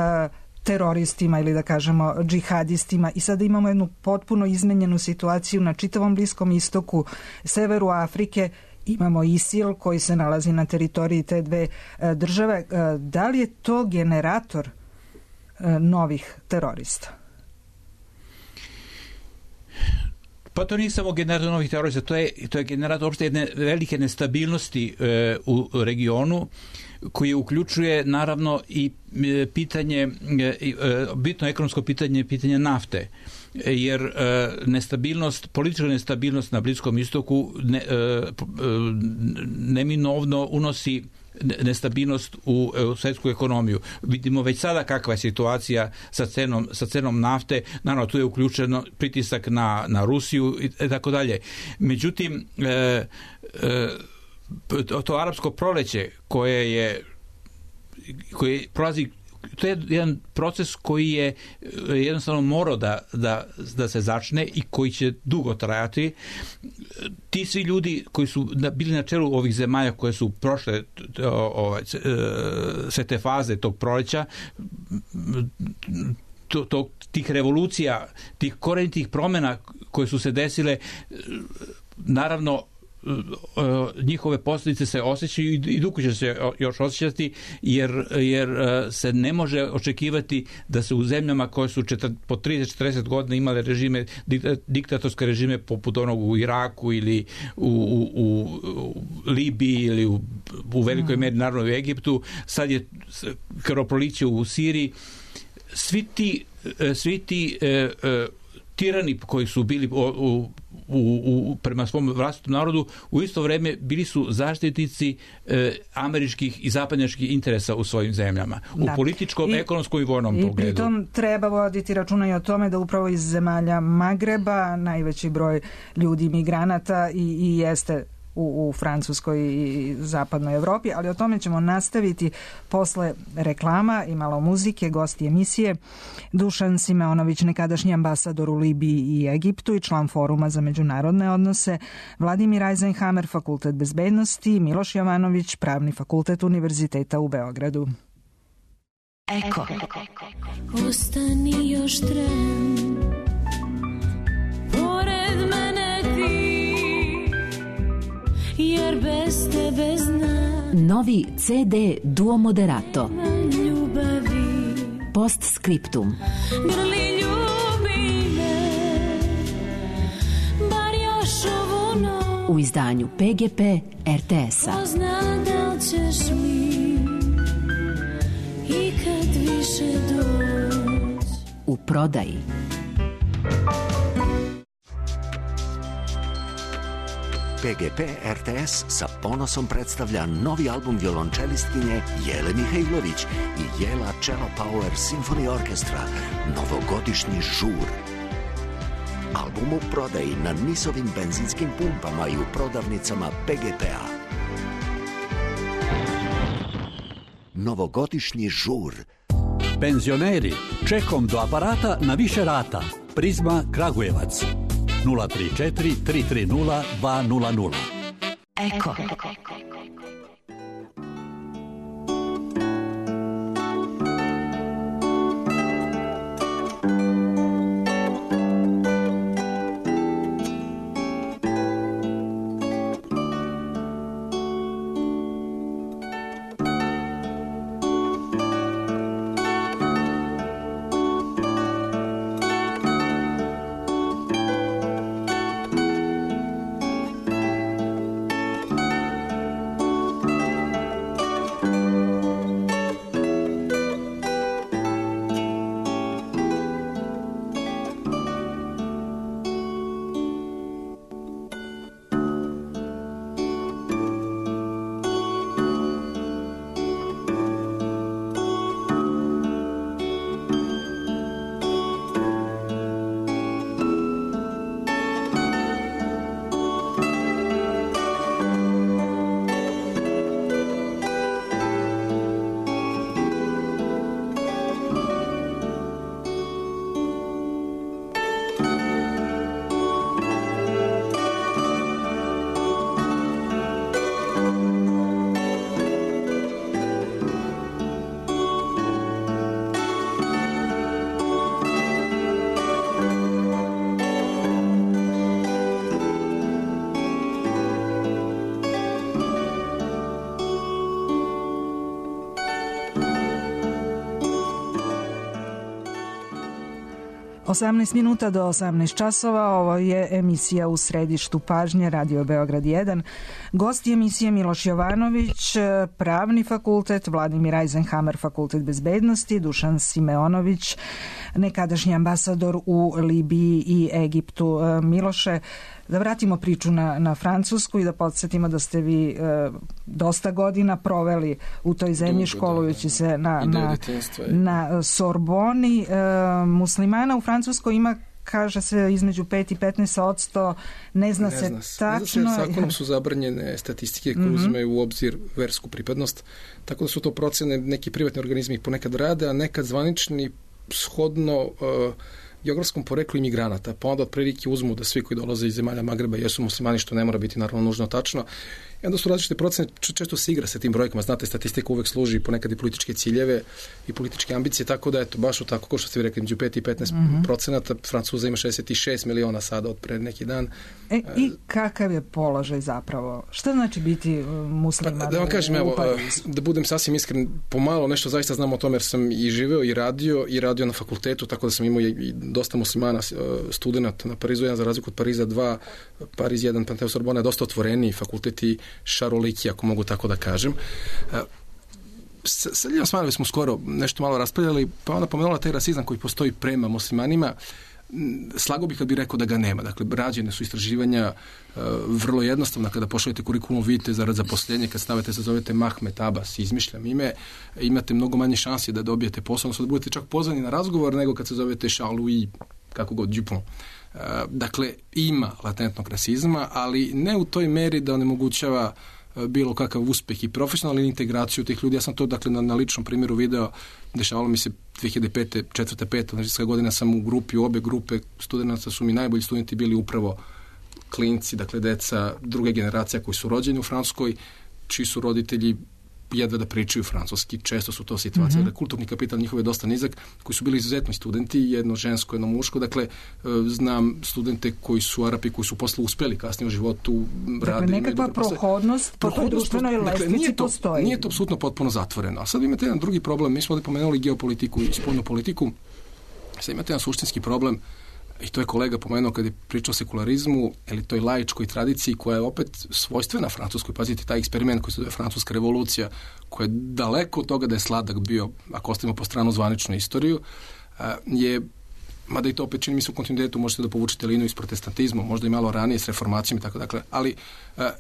teroristima ili da kažemo džihadistima i sada imamo jednu potpuno izmenjenu situaciju na čitavom Bliskom istoku, severu Afrike. Imamo ISIL koji se nalazi na teritoriji te dve uh, države. Uh, da li je to generator novih terorista? Pa to nije samo generator novih terorista, to je, to je generator opšte jedne velike nestabilnosti e, u regionu koji uključuje naravno i e, pitanje, e, bitno ekonomsko pitanje, pitanje nafte. Jer e, nestabilnost, politička nestabilnost na Bliskom istoku ne, e, neminovno unosi nestabilnost u, u svetsku ekonomiju. Vidimo već sada kakva je situacija sa cenom, sa cenom nafte, naravno tu je uključeno pritisak na, na Rusiju i tako dalje. Međutim, e, e, to arapsko proleće koje je koje prolazi, to je jedan proces koji je jednostavno morao da, da, da se začne i koji će dugo trajati. Ti svi ljudi koji su bili na čelu ovih zemalja koje su prošle ovaj, sve te faze tog proleća, to, to, tih revolucija, tih korenitih promjena koje su se desile, naravno njihove posljedice se osjećaju i dugo će se još osjećati jer, jer se ne može očekivati da se u zemljama koje su četir, po trideset četrdeset godina imale režime, diktatorske režime poput onog u Iraku ili u, u, u Libiji ili u, u velikoj meri naravno u Egiptu, sad je krvoproliće u Siriji, svi ti, svi ti e, e, tirani koji su bili u, u U, u, prema svom vlastitom narodu, u isto vrijeme bili su zaštitnici e, američkih i zapadnjačkih interesa u svojim zemljama. U da. političkom, I, ekonomskom i vojnom i pogledu. I pritom treba voditi računa i o tome da upravo iz zemalja Magreba najveći broj ljudi migranata i, i jeste u, u Francuskoj i zapadnoj Evropi, ali o tome ćemo nastaviti posle reklama i malo muzike. Gosti emisije Dušan Simeonović, nekadašnji ambasador u Libiji i Egiptu i član Foruma za međunarodne odnose, Vladimir Eisenhammer, Fakultet bezbednosti, Miloš Jovanović, Pravni fakultet Univerziteta u Beogradu. Eko. Ostani još tren, pored mene ti, jer bez tebe znam. Novi ce de Duo Moderato. Ljubavi. Postscriptum. Grli ljubi me, bar još ovu noć. U izdanju pe ge pe er te es-a. Ko zna da li ćeš mi ikad više doći. U prodaji. pe ge pe er te es sa ponosom predstavlja novi album violončelistkinje Jele Mihajlović i Jela Cello Power Symphony Orchestra, novogodišnji žur. Album u prodaji na Nisovim benzinskim pumpama i u prodavnicama pe ge pe-a. Novogodišnji žur. Penzioneri, čekom do aparata na više rata. Prizma Kragujevac. nula tri četiri tri tri nula dva nula nula. Eko. osamnaest minuta do osamnaest časova, ovo je emisija U središtu pažnje, Radio Beograd jedan. Gosti emisije Miloš Jovanović, Pravni fakultet, Vladimir Eisenhammer, Fakultet bezbednosti, Dušan Simeonović, nekadašnji ambasador u Libiji i Egiptu. Miloše, da vratimo priču na, na Francusku i da podsjetimo da ste vi e, dosta godina proveli u toj zemlji, Dugo, školujući da, da. se na, na, na Sorboni. E, muslimana u Francuskoj ima, kaže se, između pet i petnaest odsto, ne zna ne se zna, tačno. Ne zna se, zakonom su zabranjene statistike koje mm-hmm. uzmeju u obzir versku pripadnost, tako da su to procene, neki privatni organizmi ih ponekad rade, a nekad zvanični shodno uh, geografskom poreklu imigranata, pa onda otprilike uzmu da svi koji dolaze iz zemalja Magreba jesu muslimani, što ne mora biti naravno nužno tačno. I onda su različite procene, često se igra sa tim brojkama, znate, statistika uvek služi ponekad i političke ciljeve i političke ambicije, tako da eto, baš u tako, kao što ste vi rekli, među pet i petnaest mm-hmm. procenata, Francuza ima šezdeset šest miliona sada od pre neki dan. E, i kakav je položaj zapravo? Šta znači biti musliman? Pa, da vam kažem, evo, da budem sasvim iskren, pomalo nešto zaista znam o tome jer sam i živeo i radio i radio na fakultetu, tako da sam imao i dosta muslimana studenta na Parizu jedan, za razliku od Pariza dva, Pariz jedan, Panteo Sorbona je dosta otvoreniji fakulteti, šaroliki, ako mogu tako da kažem. Sa, sa Ljiljom Smanovi smo skoro nešto malo raspravljali, pa ona pomenula taj rasizam koji postoji prema muslimanima. Slago bih kad bih rekao da ga nema. Dakle, rađene su istraživanja uh, vrlo jednostavno. Kada pošaljete kurikulum, vidite zarad zaposlenje, kad stavite se zovete Mahmet Abbas, izmišljam ime, imate mnogo manje šanse da dobijete posao, odnosno da budete čak pozvani na razgovor nego kad se zovete Charles-Louis, kako god, Dupont. Uh, dakle, ima latentnog rasizma, ali ne u toj meri da onemogućava uh, bilo kakav uspeh i profesionalnu integraciju tih ljudi. Ja sam to, dakle, na, na ličnom primjeru video, dešavalo mi se dve hiljade pete, četvrta, peta, znači godina sam u grupi, u obe grupe studenta su mi najbolji studenti bili upravo klinci, dakle, deca druge generacija koji su rođeni u Francuskoj, čiji su roditelji jedva da pričaju francuski, često su to situacije, mm-hmm. da kulturni kapital njihov je dosta nizak, koji su bili izuzetni studenti, jedno žensko, jedno muško, dakle, znam studente koji su Arapi, koji su posle uspeli kasnije u životu, dakle, radili. Dakle, nekakva prohodnost po toj društvenoj lestvici postoji. Nije to apsolutno potpuno zatvoreno. A sad imate jedan drugi problem, mi smo ovdje pomenuli geopolitiku i spoljnu politiku, sad imate jedan suštinski problem, i to je kolega pomenuo kad je pričao o sekularizmu, ili toj laičkoj tradiciji koja je opet svojstvena Francuskoj. Pazite, taj eksperiment koji se zove Francuska revolucija, koja je daleko od toga da je sladak bio, ako ostavimo po stranu zvaničnu istoriju, je, mada i to opet čini mi se u kontinuitetu, možete da povučete liniju iz protestantizma, možda i malo ranije s reformacijom i tako dakle, ali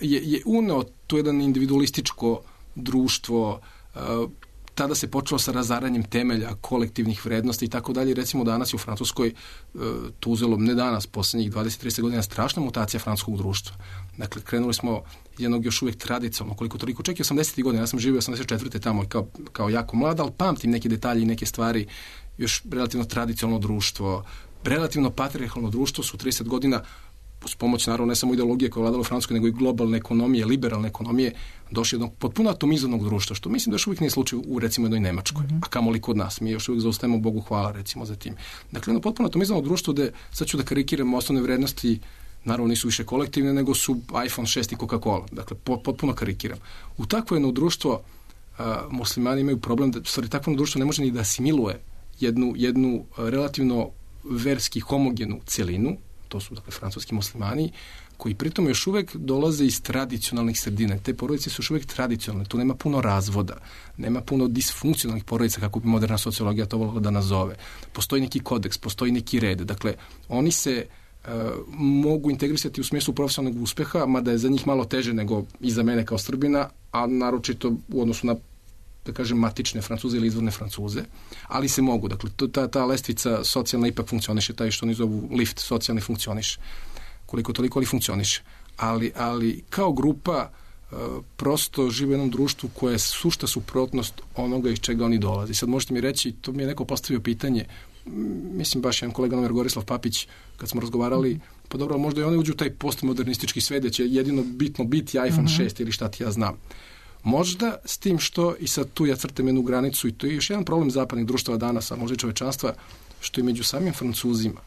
je, je uneo to jedan individualističko društvo, tada se počelo sa razaranjem temelja kolektivnih vrednosti i tako dalje. Recimo danas je u Francuskoj e, to uzelo, ne danas, posljednjih dvadeset do trideset godina, strašna mutacija francuskog društva. Dakle, krenuli smo jednog još uvijek tradicionalno, koliko toliko, čak i osamdesetih godina, ja sam živio osamdeset četvrte tamo kao, kao jako mlad, ali pamtim neke detalje i neke stvari, još relativno tradicionalno društvo, relativno patrijarhalno društvo su trideset godina uz pomoć, naravno, ne samo ideologije koja je vladala u Francuskoj, nego i globalne ekonomije, liberalne ekonomije, došli jednog potpuno atomizovanog društva, što mislim da još uvijek nije slučaj u, recimo, jednoj Nemačkoj, mm-hmm. a kamoli kod nas. Mi još uvijek zaostajemo, Bogu hvala, recimo, za tim. Dakle, jedno potpuno atomizovano društvo gde, sad ću da karikiram, osnovne vrednosti, naravno, nisu više kolektivne, nego su iPhone šest i Coca-Cola. Dakle, potpuno karikiram. U takvo jedno društvo a, muslimani imaju problem da, stvari, takvo društvo ne može ni da asimiluje jednu, jednu a, relativno verski homogenu celinu, to su, dakle, francuski muslimani, koji pritom još uvijek dolaze iz tradicionalnih sredina. Te porodice su još uvijek tradicionalne. Tu nema puno razvoda, nema puno disfunkcionalnih porodica, kako bi moderna sociologija to volila da nazove. Postoji neki kodeks, postoji neki red. Dakle, oni se uh, mogu integrisati u smislu profesionalnog uspeha, mada je za njih malo teže nego i za mene kao Srbina, a naročito u odnosu na, da kažem, matične Francuze ili izvorne Francuze, ali se mogu. Dakle, ta, ta lestvica socijalna ipak funkcioniše, taj što oni zovu lift socijalni funkcioniše. Koliko toliko, ali funkcioniše. Ali, ali kao grupa uh, prosto žive u jednom društvu koje je sušta suprotnost onoga iz čega oni dolaze. Sad možete mi reći, to mi je neko postavio pitanje, mislim baš jedan kolega nomer Gorislav Papić, kad smo razgovarali, pa dobro, možda i oni uđu u taj postmodernistički svet, da će jedino bitno biti iPhone mm-hmm. šest ili šta ti ja znam. Možda s tim što, i sad tu ja crtam jednu granicu, i to je još jedan problem zapadnih društava danas, a možda i čovečanstva, što i među samim Francuzima,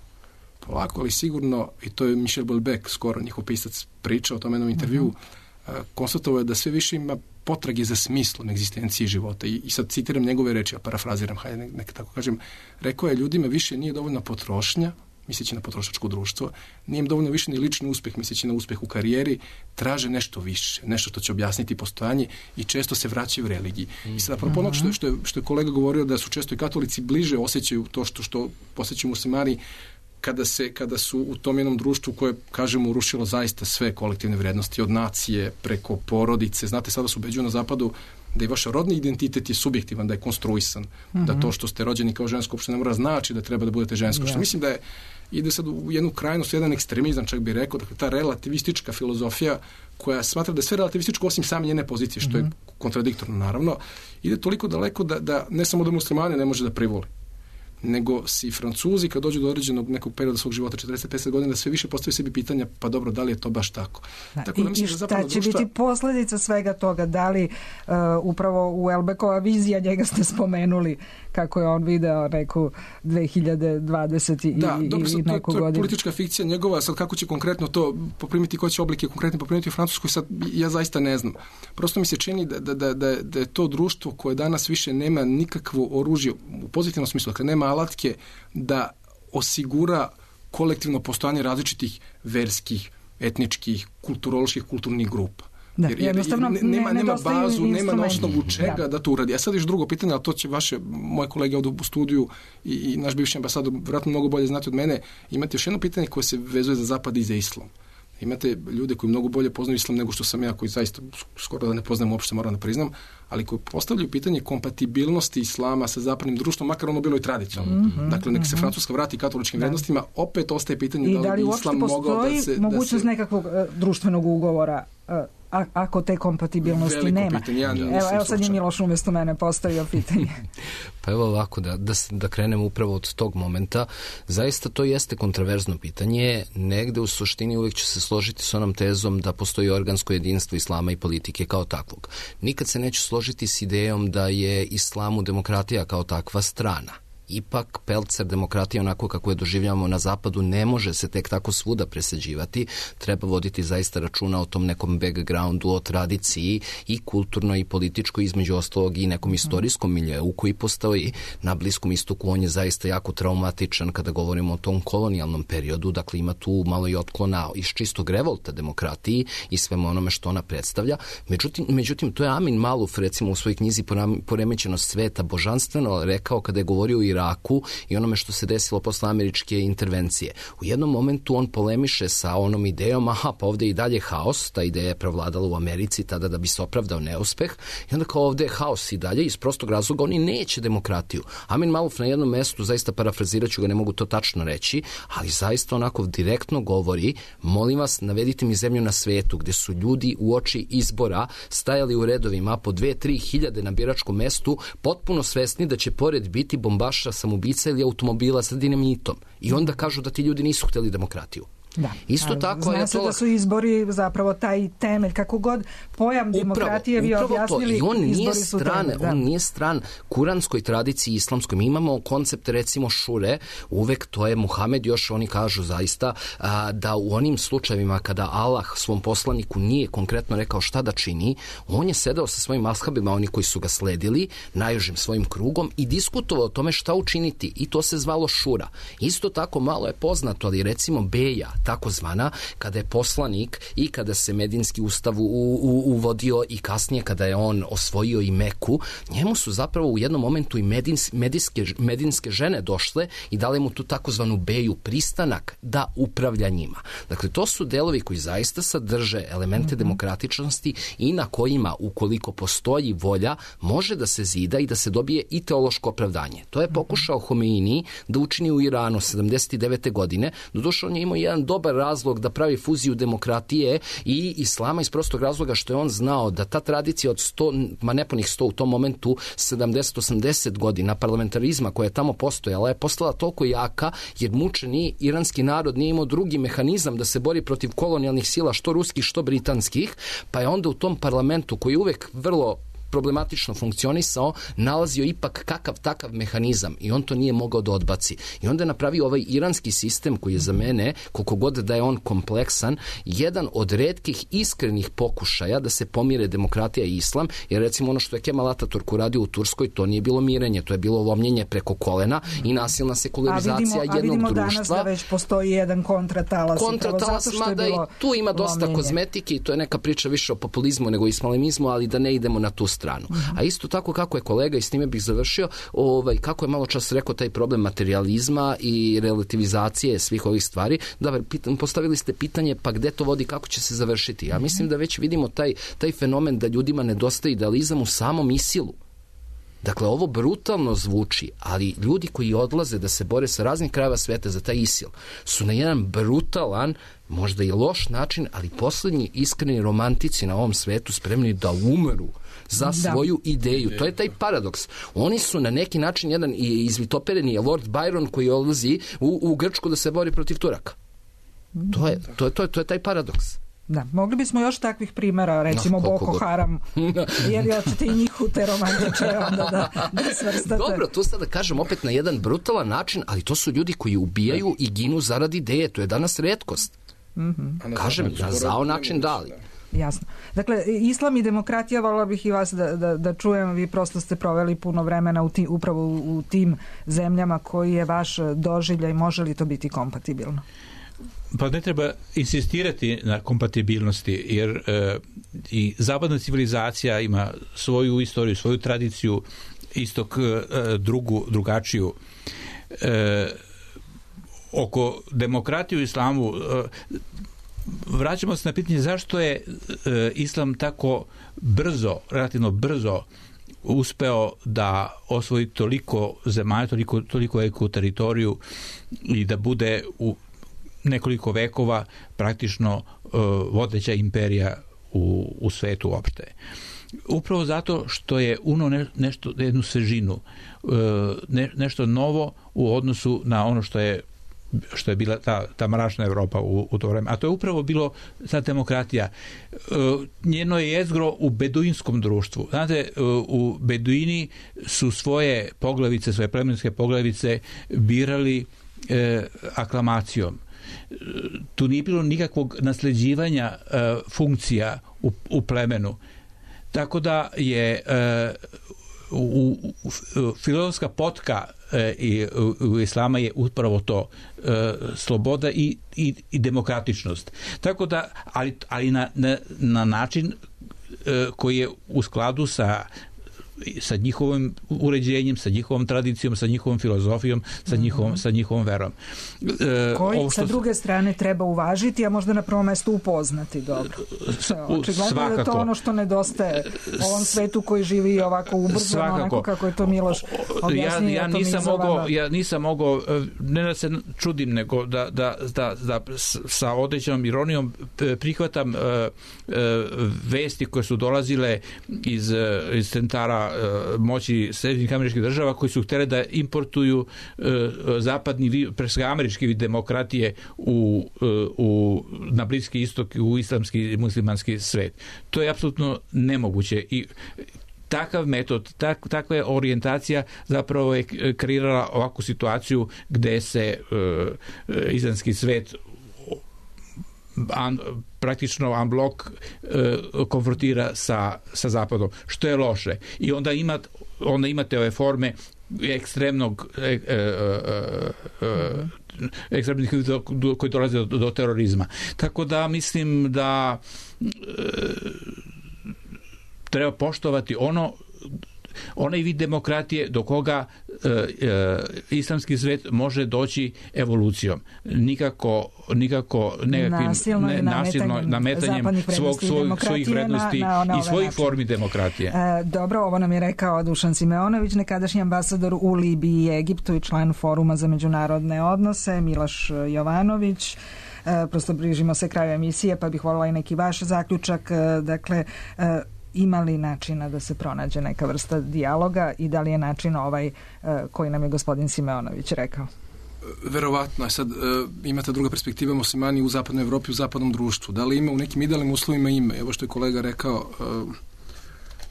polako, ali sigurno, i to je Michel Houellebecq, skoro njihov pisac, pričao o tom jednom intervju, mm-hmm. konstatovao je da sve više ima potrage za smislom egzistencije života. I, i sad citiram njegove reči, a parafraziram, hajde nek, nek tako kažem, rekao je ljudima više nije dovoljna potrošnja, misleći na potrošačko društvo, nije im dovoljno više ni lični uspeh, misleći na uspeh u karijeri, traže nešto više, nešto što će objasniti postojanje i često se vraćaju u religiji. I sad, apropo onog što, što, je, što je kolega govorio da su često i katolici bliže osjećaju to što, što osjećaju muslimani kada, se, kada su u tom jednom društvu koje, kažemo, urušilo zaista sve kolektivne vrednosti, od nacije preko porodice. Znate, sada se ubeđuju na zapadu da i vaš rodni identitet je subjektivan, da je konstruisan, mm-hmm. da to što ste rođeni kao žensko uopšte ne mora znači da treba da budete žensko. Yeah. Što mislim da je, ide sad u jednu krajnost, jedan ekstremizam, čak bih rekao, dakle, ta relativistička filozofija koja smatra da je sve relativističko osim same njene pozicije, što mm-hmm. je kontradiktorno, naravno, ide toliko daleko da, da ne samo da muslimane ne može da privoli, nego si Francuzi kad dođu do određenog nekog perioda svog života, četrdeset do pedeset godina, da sve više postavljaju sebi pitanja, pa dobro, da li je to baš tako? Da, tako da i, mislim, i šta da će društva... biti posljedica svega toga? Da li uh, upravo u Elbekova vizija, njega ste spomenuli, kako je on video neku dve hiljade dvadesete da, i, dobro, sad, i neku to, to je godinu. politička fikcija njegova, sad kako će konkretno to poprimiti, koje će oblike konkretno poprimiti u Francuskoj, sad ja zaista ne znam. Prosto mi se čini da, da, da, da, da je to društvo koje danas više nema nikakvo oružje, u pozitivnom smislu, dakle nema alatke da osigura kolektivno postojanje različitih verskih, etničkih, kulturoloških, kulturnih grupa. Da, jer, jer, jer nema, nema, nema bazu, nema na osnovu čega da. da to uradi. A sad još drugo pitanje, ali to će vaše, moje kolege ovdje u studiju i, i naš bivši ambasador vjerojatno mnogo bolje znati od mene, imate još jedno pitanje koje se vezuje za zapad i za islam. Imate ljude koji mnogo bolje poznaju islam nego što sam ja, koji zaista skoro da ne poznajem uopšte, moram da priznam, ali koji postavljaju pitanje kompatibilnosti islama sa zapadnim društvom, makar ono bilo i tradicionalno. Mm-hmm, dakle, nek se Francuska vrati katoličkim da. vrednostima, opet ostaje pitanje I da li, da li bi islam mogao da se... I mogućnost da se... nekakvog uh, društvenog ugovora, uh, a, ako te kompatibilnosti Veliko nema. Pitanje, ja evo, evo sad je Miloš umjesto mene postavio pitanje. Pa evo ovako, da, da, da krenem upravo od tog momenta. Zaista to jeste kontraverzno pitanje. Negde u suštini uvijek ću se složiti s onom tezom da postoji organsko jedinstvo islama i politike kao takvog. Nikad se neću složiti s idejom da je islamu demokratija kao takva strana. Ipak pelcer demokratije onako kako je doživljavamo na zapadu ne može se tek tako svuda presađivati, treba voditi zaista računa o tom nekom backgroundu, o tradiciji i kulturnoj i političkoj, između ostalog i nekom istorijskom miljeu koji postoji na Bliskom istoku. On je zaista jako traumatičan kada govorimo o tom kolonijalnom periodu, dakle ima tu malo i otklona iz čistog revolta demokratiji i svemu onome što ona predstavlja. Međutim, međutim to je Amin Maluf recimo u svojoj knjizi Poremećenost sveta božanstveno rekao kada je govorio i Iraku i onome što se desilo posle američke intervencije. U jednom momentu on polemiše sa onom idejom, aha, pa ovdje i dalje haos, ta ideja je prevladala u Americi tada da bi se opravdao neuspeh, i onda kao ovdje je haos i dalje, iz prostog razloga oni neće demokratiju. Amin Maluf na jednom mestu, zaista parafrazirat ću ga, ne mogu to tačno reći, ali zaista onako direktno govori, molim vas, navedite mi zemlju na svetu gdje su ljudi u oči izbora stajali u redovima po dve, tri hiljade na biračkom mestu, potpuno svesni da će pored biti bombaš samoubica ili automobila sa dinamitom. I onda kažu da ti ljudi nisu htjeli demokratiju. Da. Isto tako zna je se to... da su izbori zapravo taj temelj, kako god pojam upravo, demokratije vi objasnili, i on nije izbori su stran, temelj. On nije stran kuranskoj tradiciji islamskoj. Mi imamo koncept recimo šure, uvek to je Muhamed, još oni kažu zaista a, da u onim slučajevima kada Allah svom poslaniku nije konkretno rekao šta da čini, on je sedao sa svojim ashabima, oni koji su ga sledili, najužim svojim krugom i diskutovao o tome šta učiniti i to se zvalo šura. Isto tako malo je poznato, ali recimo Beja, takozvana, kada je poslanik i kada se Medinski ustav u, u, uvodio i kasnije kada je on osvojio i Meku, njemu su zapravo u jednom momentu i medins, medinske, medinske žene došle i dale mu tu takozvanu beju, pristanak da upravlja njima. Dakle, to su delovi koji zaista sadrže elemente mm-hmm. demokratičnosti i na kojima, ukoliko postoji volja, može da se zida i da se dobije i teološko opravdanje. To je pokušao Homeini da učini u Iranu sedamdeset devete godine. Doduše, on je imao jedan dobar razlog da pravi fuziju demokratije i islama iz prostog razloga što je on znao da ta tradicija od sto, ma nepunih sto u tom momentu, sedamdeset osamdeset godina parlamentarizma koja je tamo postojala je postala toliko jaka jer mučeni iranski narod nije imao drugi mehanizam da se bori protiv kolonijalnih sila, što ruskih, što britanskih, pa je onda u tom parlamentu koji je uvek vrlo problematično funkcionisao, nalazio ipak kakav takav mehanizam i on to nije mogao da odbaci. I onda je napravio ovaj iranski sistem koji je za mene, koliko god da je on kompleksan, jedan od retkih iskrenih pokušaja da se pomire demokratija i islam, jer recimo ono što je Kemal Ataturk uradio u Turskoj, to nije bilo mirenje, to je bilo lomljenje preko kolena i nasilna sekularizacija jednog društva. A vidimo danas da već postoji jedan kontratalas. Kontratalas, mada i tu ima dosta lomljenje. Kozmetike i to je neka priča više o populizmu nego islamizmu, ali da ne idemo na tu stranu. Uh-huh. A isto tako kako je kolega, i s time bih završio, ovaj, kako je malo čas rekao taj problem materializma i relativizacije svih ovih stvari, da postavili ste pitanje pa gde to vodi, kako će se završiti. Ja mislim da već vidimo taj, taj fenomen da ljudima nedostaje idealizam u samom isilu. Dakle, ovo brutalno zvuči, ali ljudi koji odlaze da se bore sa raznih krajeva sveta za taj isil su na jedan brutalan, možda i loš način, ali poslednji iskreni romantici na ovom svetu spremni da umeru za svoju da. ideju. To je taj paradoks. Oni su na neki način jedan izvitopereni je Lord Byron koji odlazi u, u Grčku da se bori protiv Turaka. To je, to je, to je, to je taj paradoks. Da, mogli bismo još takvih primjera, recimo no, Boko Haram, jer je očete i njih u te romantiče onda da, da svrstate. Dobro, to sad da kažem opet na jedan brutalan način, ali to su ljudi koji ubijaju i ginu zaradi ideje, to je danas retkost. Mm-hmm. Kažem, na zao način dali. Jasno. Dakle, islam i demokratija, volila bih i vas da, da, da čujem, vi prosto ste proveli puno vremena u ti, upravo u, u tim zemljama, koji je vaš doživljaj, može li to biti kompatibilno? Pa ne treba insistirati na kompatibilnosti, jer e, i zapadna civilizacija ima svoju istoriju, svoju tradiciju, istok e, drugu, drugačiju. E, oko demokratije u islamu e, vraćamo se na pitanje zašto je e, islam tako brzo, relativno brzo uspeo da osvoji toliko zemalja, toliko, toliko veliku teritoriju i da bude u nekoliko vekova praktično uh, vodeća imperija u, u svetu uopšte. Upravo zato što je uno ne, nešto, jednu svežinu, uh, ne, nešto novo u odnosu na ono što je što je bila ta, ta mračna Evropa u, u to vreme. A to je upravo bilo ta demokratija. Uh, njeno je jezgro u beduinskom društvu. Znate, uh, u Beduini su svoje poglavice, svoje plemenske poglavice birali uh, aklamacijom. Tu nije bilo nikakvog nasleđivanja uh, funkcija u, u plemenu. Tako da je uh, u, u, u, filozofska potka uh, i, u, u islama je upravo to, uh, sloboda i, i, i demokratičnost. Tako da, ali, ali na, na, na način uh, koji je u skladu sa sa njihovim uređenjem, sa njihovom tradicijom, sa njihovom filozofijom, sa njihovom, mm-hmm. sa njihovom verom. E, Koji što... sa druge strane treba uvažiti, a možda na prvom mestu upoznati dobro. Očigledno je to ono što nedostaje ovom svetu koji živi ovako ubrzano, onako kako je to Miloš objasnio. Ja, ja, nisam mogao, ja nisam mogao, ne da se čudim, nego da, da, da, da sa određenom ironijom prihvatam uh, uh, vesti koje su dolazile iz, iz centara moći Sjedinjenih Američkih Država koji su htjeli da importuju uh, zapadni, presga američki vid demokratije u, uh, u, na Bliski istok, u islamski i muslimanski svet. To je apsolutno nemoguće i takav metod, tak, takva je orijentacija zapravo je kreirala ovakvu situaciju gde se uh, islamski svet an, praktično unblock uh, konfrontira sa, sa zapadom, što je loše. I onda, ima, onda imate ove forme ekstremnog e, e, e, e, ekstremnih koji dolaze do, do terorizma. Tako da mislim da e, treba poštovati ono onaj vid demokratije do koga e, e, islamski svet može doći evolucijom. Nikako, nikako nekakvim nasilno, ne, nasilno nametanjem svog, svog, svojih vrednosti na, na, na i svojih način. Formi demokratije. E, dobro, ovo nam je rekao Dušan Simeonović, nekadašnji ambasador u Libiji i Egiptu i član Foruma za međunarodne odnose, Miloš Jovanović. E, prosto bližimo se kraju emisije, pa bih voljela i neki vaš zaključak. E, dakle, e, ima li načina da se pronađe neka vrsta dijaloga i da li je način ovaj koji nam je gospodin Simeonović rekao? Verovatno. Sad imate druga perspektiva, muslimani u zapadnoj Evropi, u zapadnom društvu. Da li ima u nekim idealnim uslovima ime? Evo što je kolega rekao,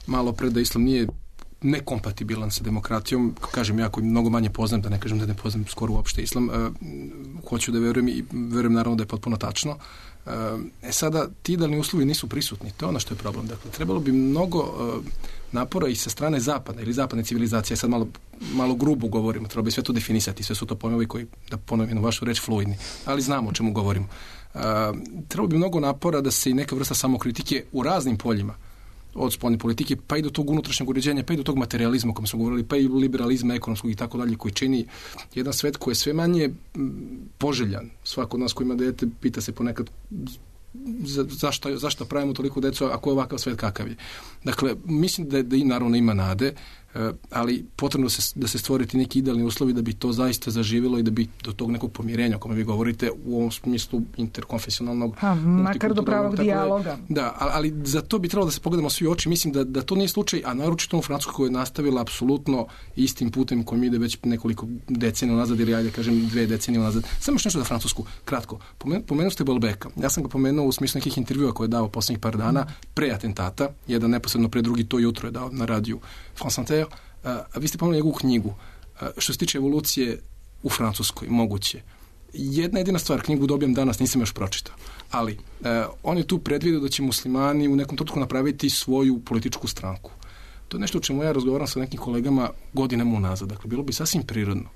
malo pre da islam nije nekompatibilan sa demokratijom, kažem ja koji mnogo manje poznam, da ne kažem da ne poznam skoro uopšte islam, uh, hoću da verujem i verujem naravno da je potpuno tačno. Uh, e sada, ti idealni uslovi nisu prisutni, to je ono što je problem. Dakle, trebalo bi mnogo uh, napora i sa strane zapada ili zapadne civilizacije, sad malo, malo grubo govorimo, treba bi sve to definisati, sve su to pojmovi koji, da ponovim vašu reč, fluidni, ali znamo o čemu govorimo. Uh, trebalo bi mnogo napora da se i neka vrsta samokritike u raznim poljima, od spoljne politike, pa i do tog unutrašnjeg uređenja, pa i do tog materializma o kojem smo govorili, pa i liberalizma ekonomskog i tako dalje, koji čini jedan svet koji je sve manje poželjan. Svako od nas koji ima dete pita se ponekad za, zašto, zašto pravimo toliko decu, ako je ovakav svet kakav je. Dakle, mislim da, da i naravno ima nade, ali potrebno se, da se stvoriti neki idealni uslovi da bi to zaista zaživjelo i da bi do tog nekog pomirenja o kome vi govorite u ovom smislu interkonfesionalnog, ha, makar do pravog dijaloga. Da, ali za to bi trebalo da se pogledamo svi u oči. Mislim da, da to nije slučaj, a naročito u Francuskoj koja je nastavila apsolutno istim putem kojim ide već nekoliko decenija nazad, ili ajde kažem dve decenije nazad. Samo još nešto za Francusku, kratko. Pomen, pomenuo ste Balbeka. Ja sam ga pomenuo u smislu nekih intervjua koje je dao poslednjih par dana pre atentata. Jedan neposredno pre, drugi to jutro je dao na radiju France Inter. A vi ste pomenuli njegovu knjigu. A, što se tiče evolucije u Francuskoj, moguće. Jedna jedina stvar, knjigu dobijam danas, nisam još pročitao, ali a, on je tu predvidio da će muslimani u nekom trenutku napraviti svoju političku stranku. To je nešto o čemu ja razgovaram sa nekim kolegama godinama unazad. Dakle, bilo bi sasvim prirodno,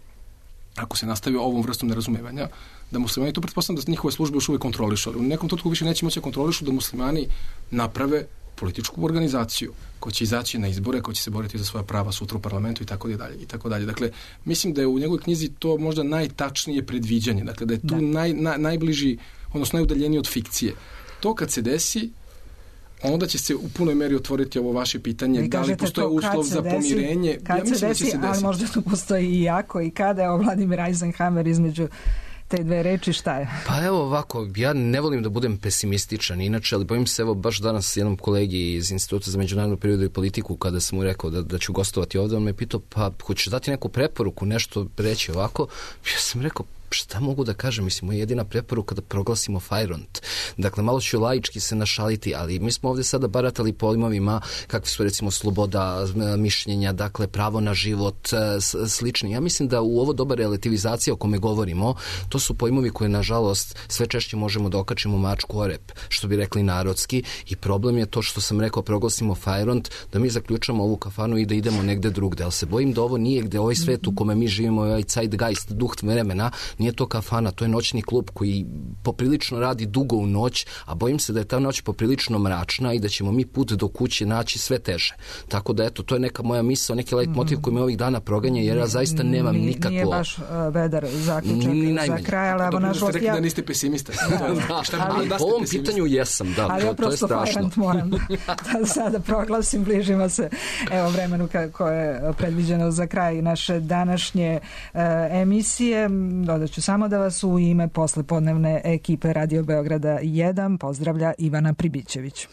ako se nastavi ovom vrstom nerazumevanja, da muslimani, to pretpostavljam da njihove službe još uvijek kontrolišu, ali u nekom trenutku više neće moći da kontrolišu da muslimani naprave političku organizaciju koja će izaći na izbore, koja će se boriti za svoja prava sutra u parlamentu i tako dalje i tako dalje. Dakle, mislim da je u njegovoj knjizi to možda najtačnije predviđanje, dakle da je tu naj, na, najbliži, odnosno najudaljeniji od fikcije. To kad se desi, onda će se u punoj meri otvoriti ovo vaše pitanje, da li postoje uslov za desi, pomirenje. Kad ja se desi, se ali možda tu postoji i jako i kada je Vladimir Eisenhower između te dve reči, šta je? Pa evo ovako, ja ne volim da budem pesimističan inače, ali bojim se, evo baš danas jednom kolegi iz Instituta za međunarodnu periodu i politiku, kada sam mu rekao da, da ću gostovati ovdje, on me pitao, pa hoćeš dati neku preporuku, nešto reći ovako? Ja sam rekao, šta mogu da kažem, mislim, moja jedina preporuka da proglasimo Fajront. Dakle, malo ću laički se našaliti, ali mi smo ovdje sada baratali pojmovima kakvi su recimo sloboda mišljenja, dakle, pravo na život, slični. Ja mislim da u ovo doba relativizacija o kome govorimo, to su pojmovi koje, nažalost, sve češće možemo da okačimo mačku o rep, što bi rekli narodski, i problem je to što sam rekao, proglasimo Fajront, da mi zaključamo ovu kafanu i da idemo negde drugde, ali se bojim da ovo nije gde ovaj svet u kome mi živimo, ovaj zeitgeist, duh vremena, nije to kafana, to je noćni klub koji poprilično radi dugo u noć, a bojim se da je ta noć poprilično mračna i da ćemo mi put do kuće naći sve teže. Tako da, eto, to je neka moja misao, neki leit motiv koji me ovih dana proganja, jer ja zaista nemam nije, nikakvo... Nije baš uh, vedar zaključak za kraj, ali evo nažalost... Dobro, ja... da niste pesimista. da, ali da po ovom pitanju jesam, da, ali to, ja to je strašno. moram da sada proglasim, bližimo se evo vremenu koje je predviđeno za kraj naše današnje uh, emisije. Dodat ću samo da vas u ime poslepodnevne ekipe Radio Beograda jedan pozdravlja Ivana Pribićević.